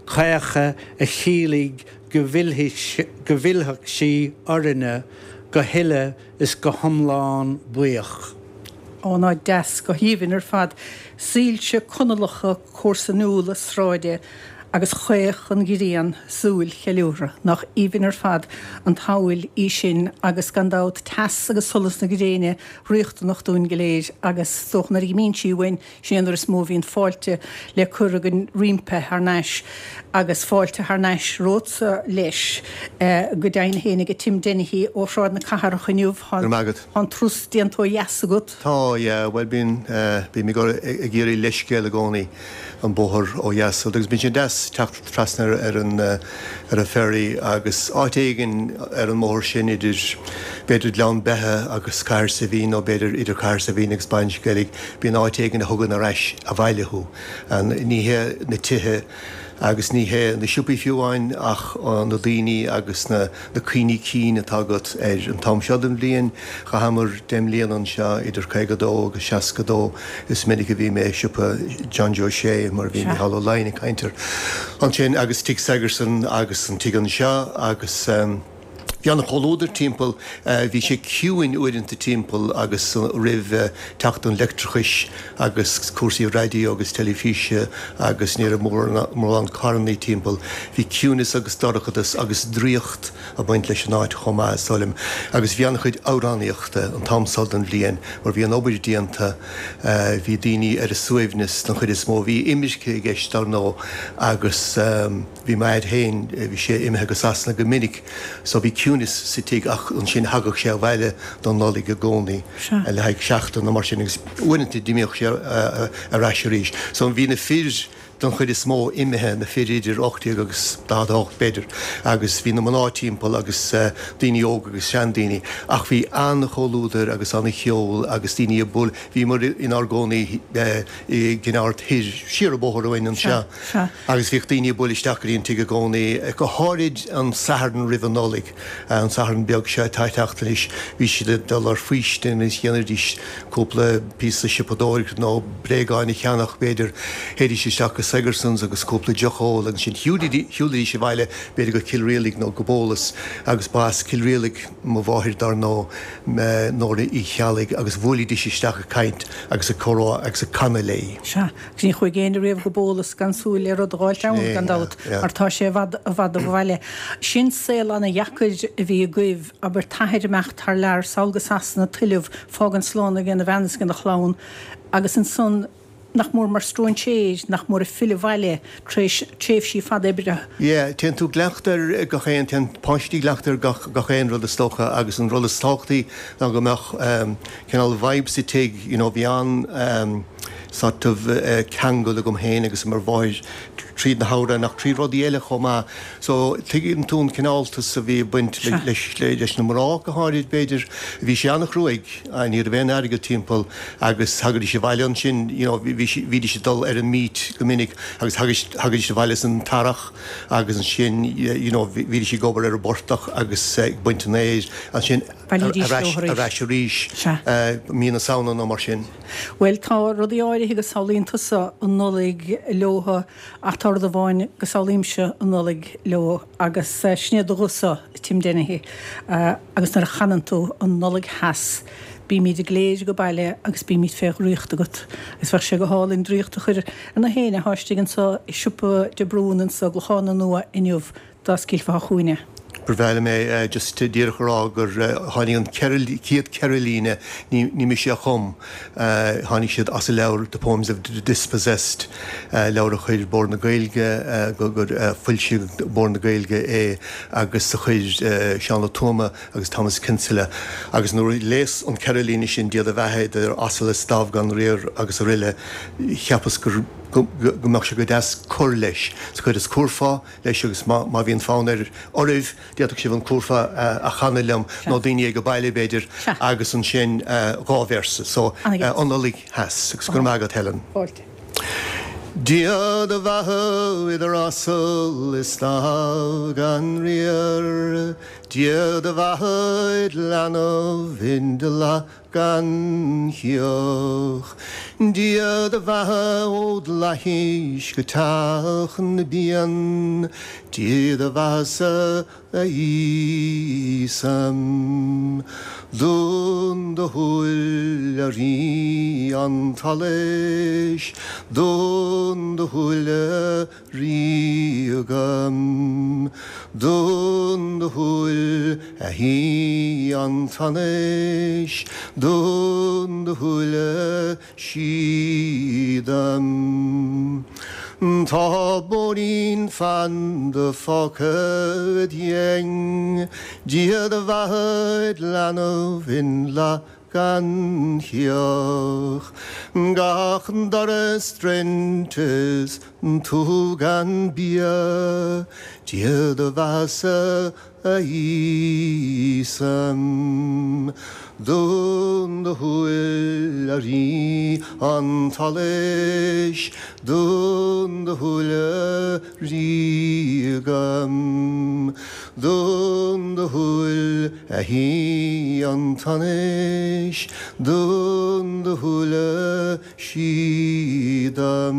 caochadh a chiallaigh go bhfillfeadh sí orainne go huile is go hiomlán buíoch. Ó, ná deas, go haoibhinn ar fad, soilse conallacha comharsanúla sráide agus chaoch an ghrian súil cheiliúrtha. Nach aoibhinn ar fad an tsamhail í sin agus gan dabht teas agus solas na gréine riachtanach dúinn go léir agus is dócha nuair a imíonn sí uainn Sin é an uair is mó a bhíonn fáilte le cur againn roimpi thar n-ais agus fáilte thar n-ais romhatsa leis. Go deimhin féin ag Tim Dennehy ó Shráid na Cathrach inniu. Go raibh maith agat. Tá an turas déanta ó dheas agat. Tá, yeah, bhuel bíonn, bím ag ag iarraidh leithscéal i gcónaí an bóthar ó dheas agus bíonn sé deas teacht trasna ar an ar an ferry agus áit éigin ar an mbóthar sin idir b'fhéidir Gleann Beithe agus Cathair Saidhbhín nó b'fhéidir idir Cathair Saidhbhín agus Baile an Sceilg Bíonn áit éigin a thugann ar ais abhaile thú. Ní hé na tithe agus ní hé na siopaí fiú amháin ach na daoine agus na cuimhní cinn atá agat ar an t-am seo den bhliain. Chaitheamar 10 mbliana anseo idir 52 agus 62. Is minic a bhí mé i siopa John Joe Shea mar a bhí Mícheál Ó Laighin ag caint air ansin agus Tigh Sigerson agus an tigh anseo agus. Bhí an-chomhluadar timpeall, bhí sé ciúin uaireanta timpeall agus roimh teacht an leictreachais agus cúrsaí raidió agus teilifíse agus ní raibh mórán carrannaí timpeall. Bhí ciúineas agus dorchadas agus draíocht ag baint leis an áit chomh maith, is dóigh liom. Agus bhí an-chuid amhránaíochta an t-am so den bhliain mar bhí an obair déanta, bhí daoine ar a suaimhneas den chuid is mó. Bhí imirce i gceist dar ndóigh agus. Bhí m'athair féin, bhí sé imithe go Sasana go minic so bhí ciúnas sa tigh ach ansin thagadh sé abhaile don Nollaig i gcónaí le haghaidh seachtain nó mar sin agus uaireanta d'imíodh sé ar ais arís. So bhí na fir don chuid is mó imithe, na fir idir 18 agus 48 b'fhéidir agus bhí na mná timpeall agus daoine óga agus seandaoine ach bhí an-chomhluadar agus an-cheol agus daoine ag bualadh, bhíomar inár gcónaí i gCinn Ard Thoir, siar an bóthar uainn anseo. Sea. Agus bhíodh daoine ag bualadh isteach go dtí an tigh i gcónaí, go háirid an Satharn roimh an Nollaig, an Satharn beag seo atá ag teacht anois, bhí siad ag dul ar faoistin agus dhéanaidís cúpla píosa siopadóireachta nó bréagáin a cheannach, b'fhéidir. Théidís isteach go Sigerson's agus cúpla deoch a ól agus ansin shiúlaidís abhaile, b'fhéidir go Cill Rialaig nó go Bólas agus ba as Cill Rialaig mo mháthair dar ndóigh, Nóra Uí Cheallaigh, agus bhuailidís isteach ag caint agus ag comhrá agus ag canadh léi. Sea. Agus ní chuaigh éinne riamh go Bólas gan súil le rud a dh'fháilt ann, gan dabht, mar tá sé i bhfad, i bhfad ó bhaile. Sin saol ana-dheacair a bhí agaibh, abair, t'athair imeacht thar lear, sall go Sasana, tuilleamh, fágaint slán ag a bhean is ag a chlann, agus ansan, nach mór mar stróinséir, nach mór ag filleadh abhaile tar éis tréimhsí fada oibre. Yeah, téann tú i gcleachtadh ar gach aon, téann páistí i gcleachtadh ar gach, gach aon rud is dócha agus an rud is tábhachtaí ná go mbeadh cineál vibe sa tigh, you know, bhí an sort of ceangal agam féin agus mo mháthair tríd na hamhráin ach trí rudaí eile chomh maith. So tuigeann tú an cineáltas a bhí ag baint leis, leis na mná go háirid b'fhéidir. Bhí sé an-chruaidh, ní raibh aon airgead timpeall agus thagaidís abhaile ansin, you know, bhí, bhídís ag dul ar an meat go minic agus thagaidís abhaile san t-earrach agus ansin, you know, bhídís ag obair ar an bportach agus ag baint an fhéir ansin. Bhailídís ar ais, ar ais arís, mí na Samhna nó mar sin. Bhuel, tá rudaí áirithe go samhlaíonn tusa an Nollaig leotha ach tá rud amháin go samhlaímse an Nollaig leo agus sin é do ghuth-sa, Tim Dennehy, agus nuair a chanann tú an Nollaig Theas, bímid go léir age baile agus bímid fé dhraíocht agat. Agus bheadh sé go hálainn draíocht a chur ar na héinne atá istigh anso i siopa de Brún anso i gClochán na Nua inniu. dá scaoilfeá chugainn é. Ba bhreá liom é just díreach a rá gur tháinig an chéad cheithre líne, ní mise a chum, tháinig siad as an leabhar The Poems of the Dispossessed, leabhar a chuir Bord na Gaeilge, gur foilsigh Bord na Gaeilge é agus a chuir Seán Ó Tuama agus Thomas Kinsella. Agus nuair a léas an ceithre líne sin, Dia do bheatha idir asal is damh gan riar agus aroile, cheapas gur. Go mbeadh sé go deas cur leis sa chuid is curfá leis agus má bhíonn fonn ar oraibh d'fhéadfadh sibh an curfá a chanadh liom nó daoine ag baile b'fhéidir agus ansin dá véarsa. So, an Nollaig Theas agus go raibh maith agat Helen. Fáilte. Dia do bheatha idir asal is damh gan riar, Dia do bheatha id leanbh in do leath gan chioth. Dia do bheatha ód fhlaithis go teach na bpian, Dia do bheatha-sa a Íosa. Dún do shúil a Rí an tSolais, Dún do shúile Ríoga. Dún do shúil a Shuí an tSonais, dún do shúile síoda. Tá bóithrín fanda fágtha id dheing, Dia do bheatha id leanbh in leath gan chioth. Gach doras druidte is tú gan bia, Dia do bheatha-sa a Íosa. Dún do shúil a Rí an tSolais, dún do shúile Ríoga. Dún do shúil a Shuí an tSonais, dún do shúile síoda.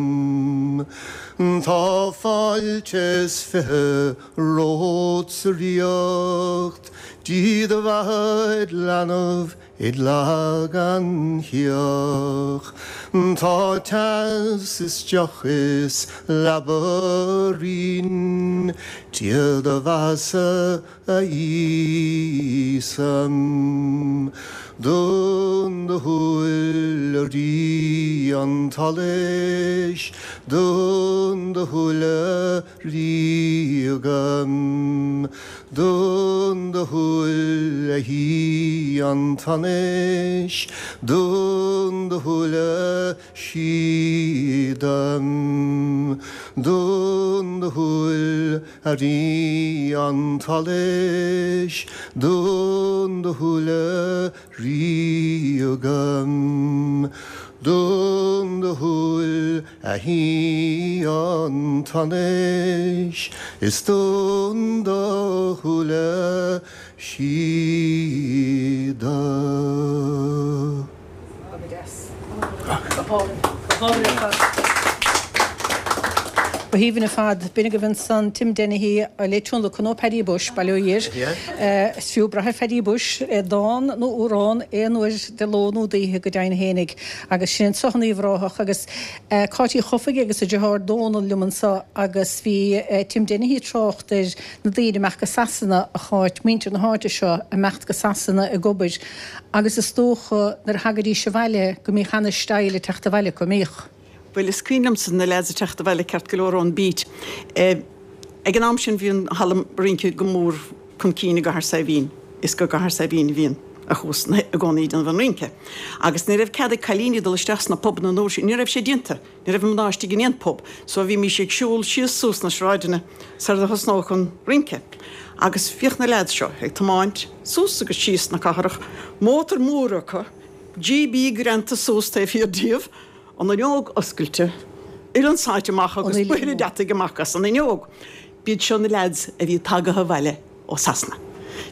Tá fáilte is 20 romhat sa Ríocht, Dia do bheatha id leanbh Id leath gan chioth. Tá teas is deoch is leaba righin, Dia do bheatha-sa a Íosa. Dún do shúil a Rí an tSolais, dún do shúile Ríoga. Dún do shúil a Shuí an tSonais, dún do shúile síoda. Dún do shúil a Rí an tSolais, dún do shúile Ríoga. Dún do shúil a Shuí an tSonais, is dún do shúile síoda. Go deas. Go hálainn. Go hálainn ar fad. Go haoibhinn ar fad. B'in agaibh ansan Tim Dennehy le tionlacan ó Paddy Bushe, Baile Ó Dhir. Is fiú brath ar Phaddy Bushe, dán nó amhrán aon uair de ló nó d'oíche go deimhin fhéinig. Agus sin anso in Uíbh Ráthach agus Cáit Uí Chofaigh agus a deartháir Dónal liom anso agus bhí Tim Dennehy ag trácht ar na daoine imeacht go Sasana, a Cháit, muintir na háite seo imeacht go Sasana ag obair agus is dócha nuair a thagaidís abhaile go mbíodh ana-style ag teacht abhaile acu, an mbíodh? Bhuel, is cuimhin liomsa na leaids ag teacht abhaile ceart go leor ón beat. Ag an am sin bhí an halla rince go mór chun cinn i gCathair Saidhbhín. Is go gCathair Saidhbhín a bhíonn a chuas i gcónaí ag déanamh an rince. Agus ní raibh cead ag cailíní dul isteach sna pubanna an uair sin, ní raibh sé déanta. Ní raibh mná istigh in aon pub, so bhímís ag siúl síos suas na sráideanna sar a thosnódh an rince. Agus bhíodh na leaids seo ag tiomáint suas agus síos na cathrach, mótar mór acu, GB greanta suas taobh thiar díobh, an fhuinneog oscailte, uillinn sáite amach agus buidhre deataigh amach as an fhuinneog. B'iad seo na leaids a bhí tagaithe abhaile ó Sasana.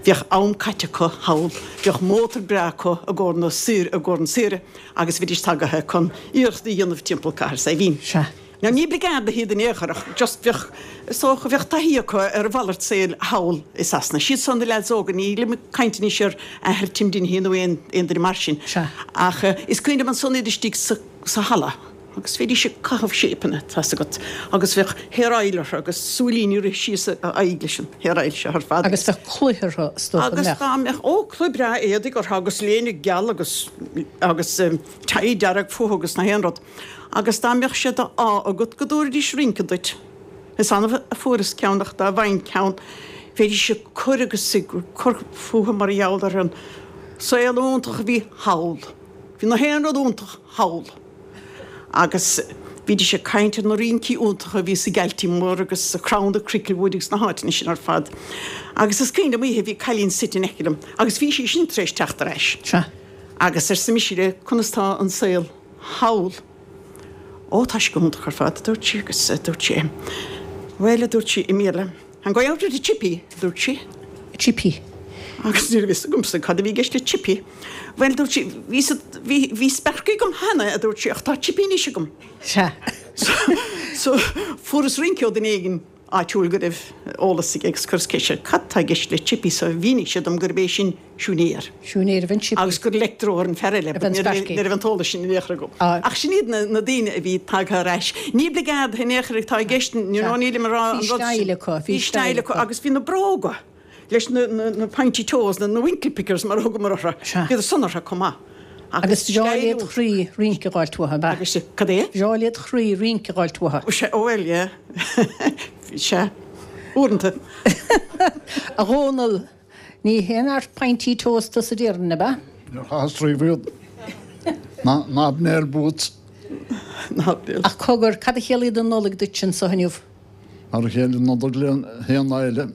Bhíodh am caite acu thall, bhíodh mótar breá acu i gcomhair na saoire, i gcomhair an saoire agus bhídís tagaithe chun iarracht a dhéanamh timpeall Cathair Saidhbhín. Sea. Now ní brigade iad in aon chor ach just bheadh, is dócha, bheadh taithí acu ar a mhalairt saoil thall i Sasana. Siad seo na leaids óga, nílim ag caint anois ar athair Tim Dennehy nó aon duine mar sin. Sea. Ach is cuimhin liom ansan iad istigh sa, sa halla. Agus bhídís ag caitheamh séipeanna, tá's agat, agus bheadh hair oil orthu agus súilíní ag rith síos a aghaidh leis an hair oil seo ar fad. Agus bheadh culaith orthu, is dócha, an mbeadh? Agus dá mbeadh, ó, culaith breá éadaigh orthu agus léine geal agus, agus tie dearg fúthu agus na haon rud. Agus dá mbeadh sé d'ádh agat go dtabharfaidís rince duit. Is annamh a fuaireas ceann ach dá bhfaighinn ceann, bheidís ag cur agus ag cur fúthu mar gheall ar an saol iontach a bhí thall. Bhí na haon rud iontach thall. Agus. Bhídís ag caint ar na rincí iontacha a bhí sa Galtee Mór agus sa Crown i Cricklewood agus na háiteanna sin ar fad. Agus is cuimhin liom oíche bhí cailín suite in aice liom agus bhí sí sin tar éis teacht ar ais. Sea. Agus arsa mise léi, conas tá an saol thall? Ó, tá sé go hiontach ar fad, a dúirt sí agus dúirt sí, bhuel, a dúirt sí i mBéarla, I'm going out to the chippy, a dúirt sí. Chippy. Agus ní raibh fhios agamsa cad a bhí i gceist le chippy. Bhuel, dúirt sí, bhí, bhí, bhí sparky agam cheana, a dúirt sí, ach tá chippy anois agam. Sea. So, so, fuaireas rince ó duine éigin áitiúil go raibh eolas aige agus chuireas ceist air, cad tá i gceist le chippy, so mhínigh sé dom gurb é sin siúinéir. Siúinéir a bheith chippy. Agus gur leictreoir an fear eile, but ní raibh an t-eolas sin in aon chor agam. Ach sin iad na daoine a bhí tagtha ar ais. Ní oibligeáid in aon chor atá i gceist, you know, nílim ag rá an rud sin. Bhí style acu, bhí style acu agus bhí na bróga leis na pointy toes, na winkle pickers mar a thugamar orthu, bhíodar san orthu chomh maith. Agus bhreá led chroí rince a dh'fháilt uathu, ab ea? Agus cad é? Bhreá led chroí rince a dh'fháilt uathu. Sea, ó bhuel, yeah. Sea, uaireanta. A Dhónaill, Ní haon fhear pointy toes tusa déarfainn, ab ea? Níor chaitheas riamh iad. Ná hobnail boots. Ach cogar, cad a chiallaíonn an Nollaig duitse anso inniu? Mar a chéile an Nollaig le haon lá eile.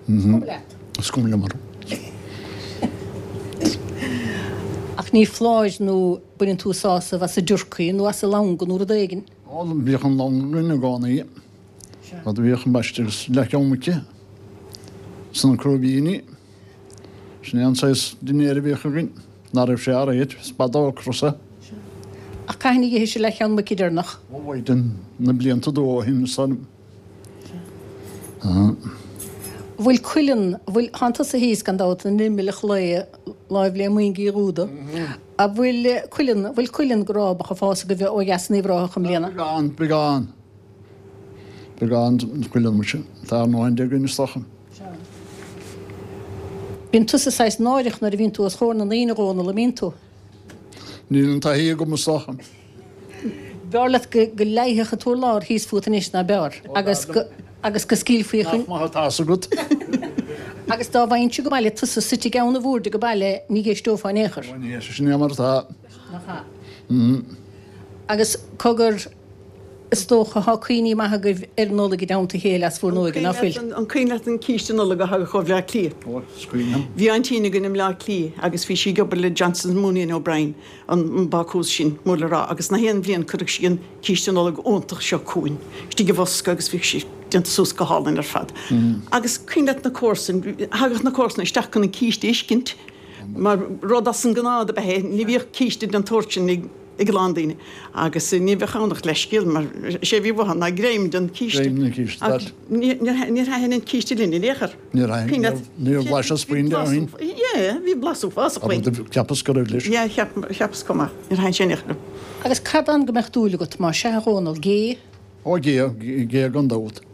Is cuma leat. Is cuma liom. Ach ní foláir nó baineann tú sásamh as an dturcaí nó as an langan nó rud éigin? Ó, bhíodh an langan againn i gcónaí. Rud a bhíodh ambaiste agus leathcheann muice is na crúibíní. Sin é an saghas dinnéir a bhíodh againn, ná raibh sé aréir, is b'fhada ocras é. Ach cathain a dh'ithis an leathcheann muice deireanach? Ó, mhaighdean, na blianta ó shin, is dóigh liom. An bhfuil cuileann, an bhfuil, thánn tusa thíos gan dabht in imeall an chlaí, láimh le Moing Uí Dhúda. An bhfuil cuileann, an bhfuil cuileann go rábach ag fás agaibh ó dheas in Uíbh Ráthach i mbliana? Beagán, beagán. Beagán cuileann muise. Tá ár ndóthain de againn is dócha. Bíonn tusa saghas náireach nuair a bhíonn tú os chomhair na ndaoine, a Dhónaill, an mbíonn tú? Níl an taithí agam is dócha. B'fhearr leat go go leighfeadh an t-urlár thíos fút anois ná b'fhearr agus go agus go scaoilfí chun. Nach maith atá fhios agat. Agus dá bhfaighinnse go baile tusa suite i gceann an bhoird age baile ní dh'éisteofá in aon chor. Ó ní éistfinn, sin é mar atá. Nach ea? Agus cogar, is dócha, thá cuimhní maithe agaibh ar an Nollaig i dteannta a chéile as bhur n-óige, ná fuil? An cuimhin leat an císte Nollag a thagadh ó Bhleá Cliath? Ó, is cuimhin liom. Bhí aintín againn i mBleá Cliath agus bhí sí ag obair le Johnsons Mooney and O'Brien, an bácús sin, mór le rá, agus na haon bhliain cuireadh sí an císte Nollag iontach seo chugainn istigh i bhosca agus bhíodh sí déanta suas go hálainn ar fad. Agus cuimhin leat na comharsain, thagadh na comharsana isteach chun an císte a fheiscint mar rud as an ngnáth ab ea é, ní bhíodh císte den tsórt sin ag ag a lán daoine agus ní bheadh ann ach leithscéal mar is é a bhí uathu ná greim den císte. Greim den císte, Ach níor thaitin an císte linn in aon chor. Níor thaitin, níor bhlaiseas puinn de ó shin. Yeah, bhí blas uafásach faoi. Cheapas go raibh leis. Yeah, cheapas chomh maith. Níor thaitin sé in aon chor liom. Agus cad ann go mbeadh dúil agat, má sea, a Dhónaill? Gé? Ó, gé, gé gan dabht.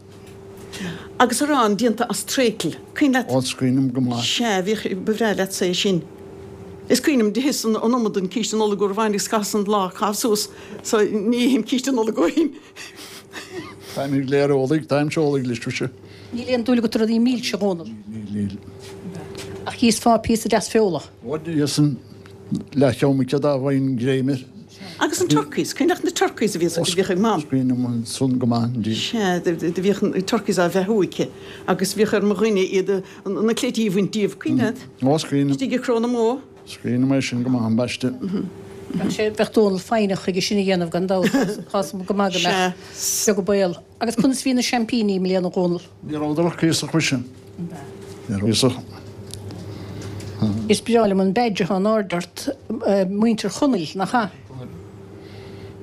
Agus arán déanta as tréicle. Cuimhin leat? Ó, is cuimhin liom go maith. Sea, bhíodh, ba bhreá leatsa é sin. Is cuimhin liom, d'itheas an iomad den císte Nollag uair amháin agus chaitheas an lá a chaitheamh suas, so ní ithim císte Nollag ó shin. Táimid go léir eolaigh, táimse eolaigh leis, muise. Níl aon dúil agat i rudaí milse, a Dhónaill? Níl, níl. Ach d'íosfá píosa deas feola? Ó, d'íosfainn leathcheann muice dá bhfaighinn greim air. Agus an turkeys, cuimhin leat na turkeys a bhíos, a bhíodh ag Mam? Is cuimhin liom san go maith indeed. Sea, do bhíodh na turkeys á bheathú aici agus bhíodh ar mo dhuine iad a, na cleití a bhaint díobh, cuimhin leat? Ó, is cuimhin liom. Istigh i gcró na mbó. Is cuimhin liom é sin go maith, ambaiste. Bheadh sé, bheadh Dónal foighneach chuige sin a dhéanamh gan dabht, tá 's agam go maith go mbeadh. Beag an baol. Agus conas bhí na seaimpíní i mbliana, a Dhónaill? Ní rabhadar ach cuíosach muise. Ní raibh cuíosach. Is breá liom an badge atá in airde ort, Muintir Chonaill, nach ea?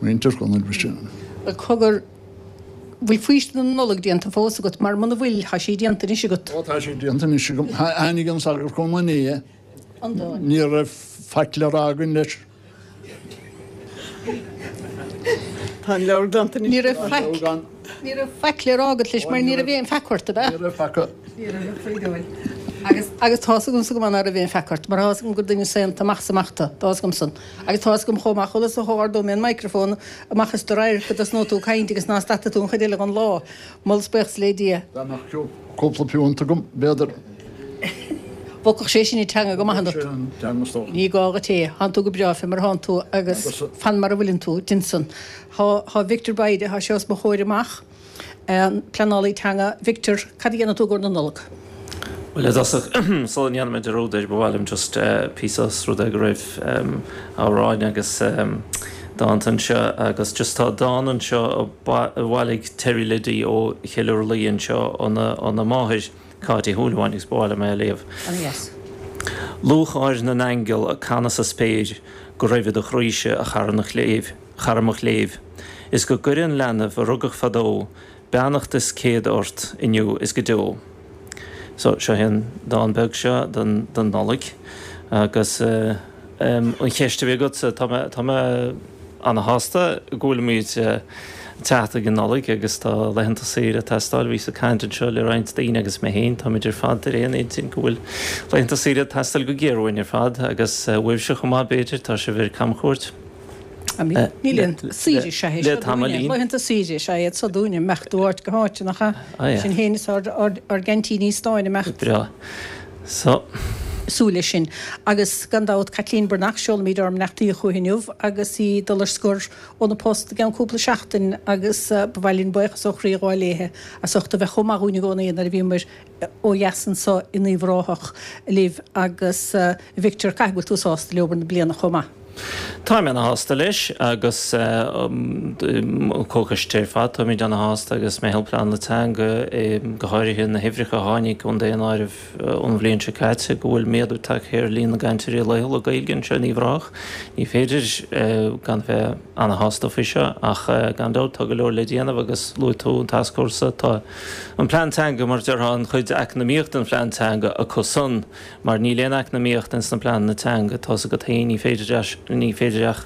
Muintir Chonaill, muise. Bhuel, cogar, bhfuil faoistin na Nollag déanta fós agat? Mar muna bhfuil, tá sí déanta anois agat. Ó, tá sí déanta anois agam. Tháinig an sagart chugam inné. Ní raibh faic le rá againn leis. Tá an leabhar glanta anois. Ní raibh faic, ní raibh faic le rá agat leis mar ní raibh aon pheaca ort, ab ea? Ní raibh faic. Ní raibh a chroí Agus, agus tá's agamsa go maith ná raibh aon pheaca ort, mar tá's agam gur duine saonta amach is amach tú, tá's agam san. Agus tá's agam chomh maith, chuala sa ardóidh mé an microphone amach as do radharc go dtosnóidh tú ag caint agus ná stadfaidh tú an chuid eile den lá. Moladh is buíochas le Dia. Dá mbeadh cúpla piúnt agam, b'fhéidir. Bhogfadh sé sin an teanga go maith ionat. Bhog sé an teanga is dócha. Ní gá dhuit é. Thánn tú go breá fé mar a thánn tú agus fan mar a bhfuileann tú, dein san. Thá, thá Victor Bayda, thá sé os mo chomhair amach, an pleanálaí teanga. Victor, cad a dhéanfaidh tú i gcomhair na Nollag? Bhuel, i dtosach, sula ndéanfaidh mé dearúd air, ba mhaith liom just píosa os rud é go raibh amhráin agus dánta anseo agus just tá dán anseo a bhailigh Terry Liddy ó Chill Urlaí anseo óna máthair, Cáit Uí Shúilleabháin agus ba mhaith liom é a léamh. Ana-dheas. Lúcháir na n-aingeal ag canadh sa spéir go raibh i do chroíse a chara na chléibh, chara mo chléibh, is go gcuire an leanbh a rugadh fadó beannacht is céad ort inniu is go deo. So, seo é an dán beag seo don don Nollaig agus an cheist a bhí agatsa, tá mé, tá mé ana-shásta go bhfuilimid ag teacht ag an Nollaig agus tá laethanta saoire ag teastáil. Bhíos ag caint anseo le roinnt daoine agus mé féin, táimid ar fad ar aon intinn go bhfuil laethanta saoire ag teastáil go géar uainn ar fad agus uaibhse chomh maith b'fhéidir, tá sibh ar camchuairt. Níl aon saoire is ea é seo dúinne. Laethanta saoire is ea iad seo dúinne, imeacht ó áit go háit, nach ea? Sinn féin is ár gceaintíní stáin imeacht. Breá. So. Súil leis sin. Agus gan dabht, Caitlín Breathnach, seolaimid ár mbeannachtaí chuici inniu agus í ag dul ar scor óna post i gceann cúpla seachtain agus ba mhaith linn buíochas ó chroí a ghabháil léithe as ucht a bheith chomh maith dhúinn i gcónaí nuair a bhíomar ó dheas anso in Uíbh Ráthach libh agus a Victor, caithfidh go bhfuil tú sásta le obair na bliana chomh maith? Táim ana-shásta leis agus an comhchoiste ar fad, táimid ana-shásta agus Meitheal Pleanála Teanga, go háirithe na huimhreacha a tháinig ón daonáireamh ón bhliain seo caite, go bhfuil méadú tagtha ar líon na gcainteoirí laethúla Gaeilge anseo in Uíbh Ráthach. Ní féidir gan bheith ana-shásta faoi seo ach gan dabht tá go leor le déanamh agus luaigh tú an tascfhórsa, tá An plean teanga, mar a déarfá, an chuid eacnamaíoch den phlean teanga acu san, mar níl aon eacnamaíocht ins na pleananna teanga, tá's agat féin, ní féidir, ní féidir ach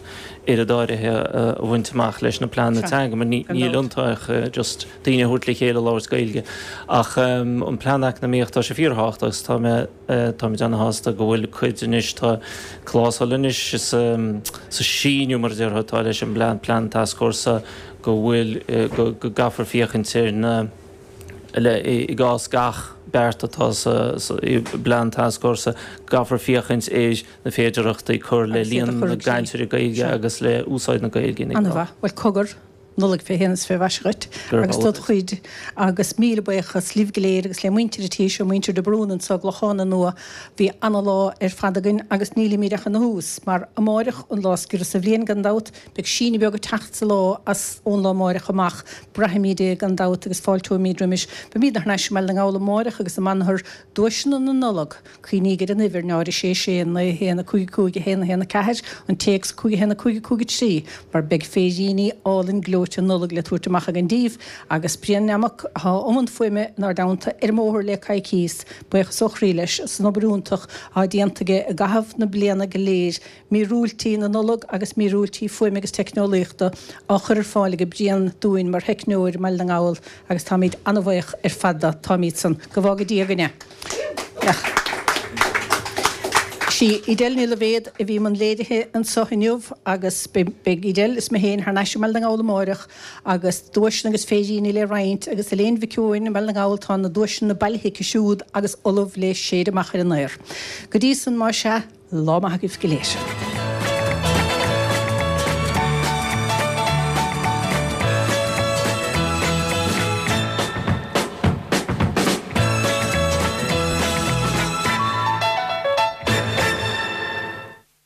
oiread áirithe a bhaint amach leis na pleananna teanga, mar níl iontu ach just daoine a thabhairt le chéile ag labhairt Gaeilge. Ach an plean eacnamaíoch, tá sé fíorthábhachtach agus tá mé, táimid ana-shásta go bhfuil cuid anois, tá clásal anois sa, sa síniú, mar a déarfá, atá leis an bplean, plean tascfhórsa, go bhfuil, go gcaithfear féachaint ar na, le, i gcás gach beart atá sa bplean tascfhórsa, go gcaithfear féachaint ar na féidearthachtaí cur le líon na gcainteoirí Gaeilge agus le úsáid na Gaeilge ina Ana-mhaith. Bhuel, cogar, Nollaig fé shéan is fé mhaise dhuit agus dod chuid agus míle buíochas libh go léir agus le muintir an tí seo, muintir de Brún anso i gClochán na Nua. Bhí ana-lá ar fad againn agus nílimid ach ina thús mar amáireach an lá is giorra sa bhliain gan dabht, Beidh síneadh beag ag teacht sa lá as ón lá amáireach amach. Braithfimid é gan dabht agus fáilteoimid roimis. Beimid thar n-ais i mBaile na nGall amáireach agus i mBanthar duaiseanna na Nollag. Cuimhníg ar an uimhir, 0 6 6 9 1 5 5 1 1 4, an téacs 5 1 5 5 3, mar beidh féiríní álainn gleoite Nollag le tabhairt amach againn daoibh agus Brian Nammock atá i mbun fuaime inár dteannta ar an mbóthar le coicíos. Buíochas ó chroí leis as an obair iontach atá déanta aige i gcaitheamh na bliana go léir. Míorúiltí na Nollag agus míorúiltí fuaime agus teicneolaíochta á chur ar fáil ag Brian dúinn mar theicneoir i mBaile na nGall agus táimid an-bhuíoch ar fad de, táimid san. Go bhfága Dia againn é. Sí Edel Ní Loibhéad a bhí i mbun léirithe anseo inniu agus beidh Edel is mé féin thar n-ais i mBaile na nGall amáireach agus duaiseanna agus féiríní le roinnt agus Elaine Mhic Eoin i mBaile na nGall tá na duaiseanna bailithe aici siúd agus ullamh le séideadh amach ar an aer. Go dtí san más ea, Lá maith agaibh go léir.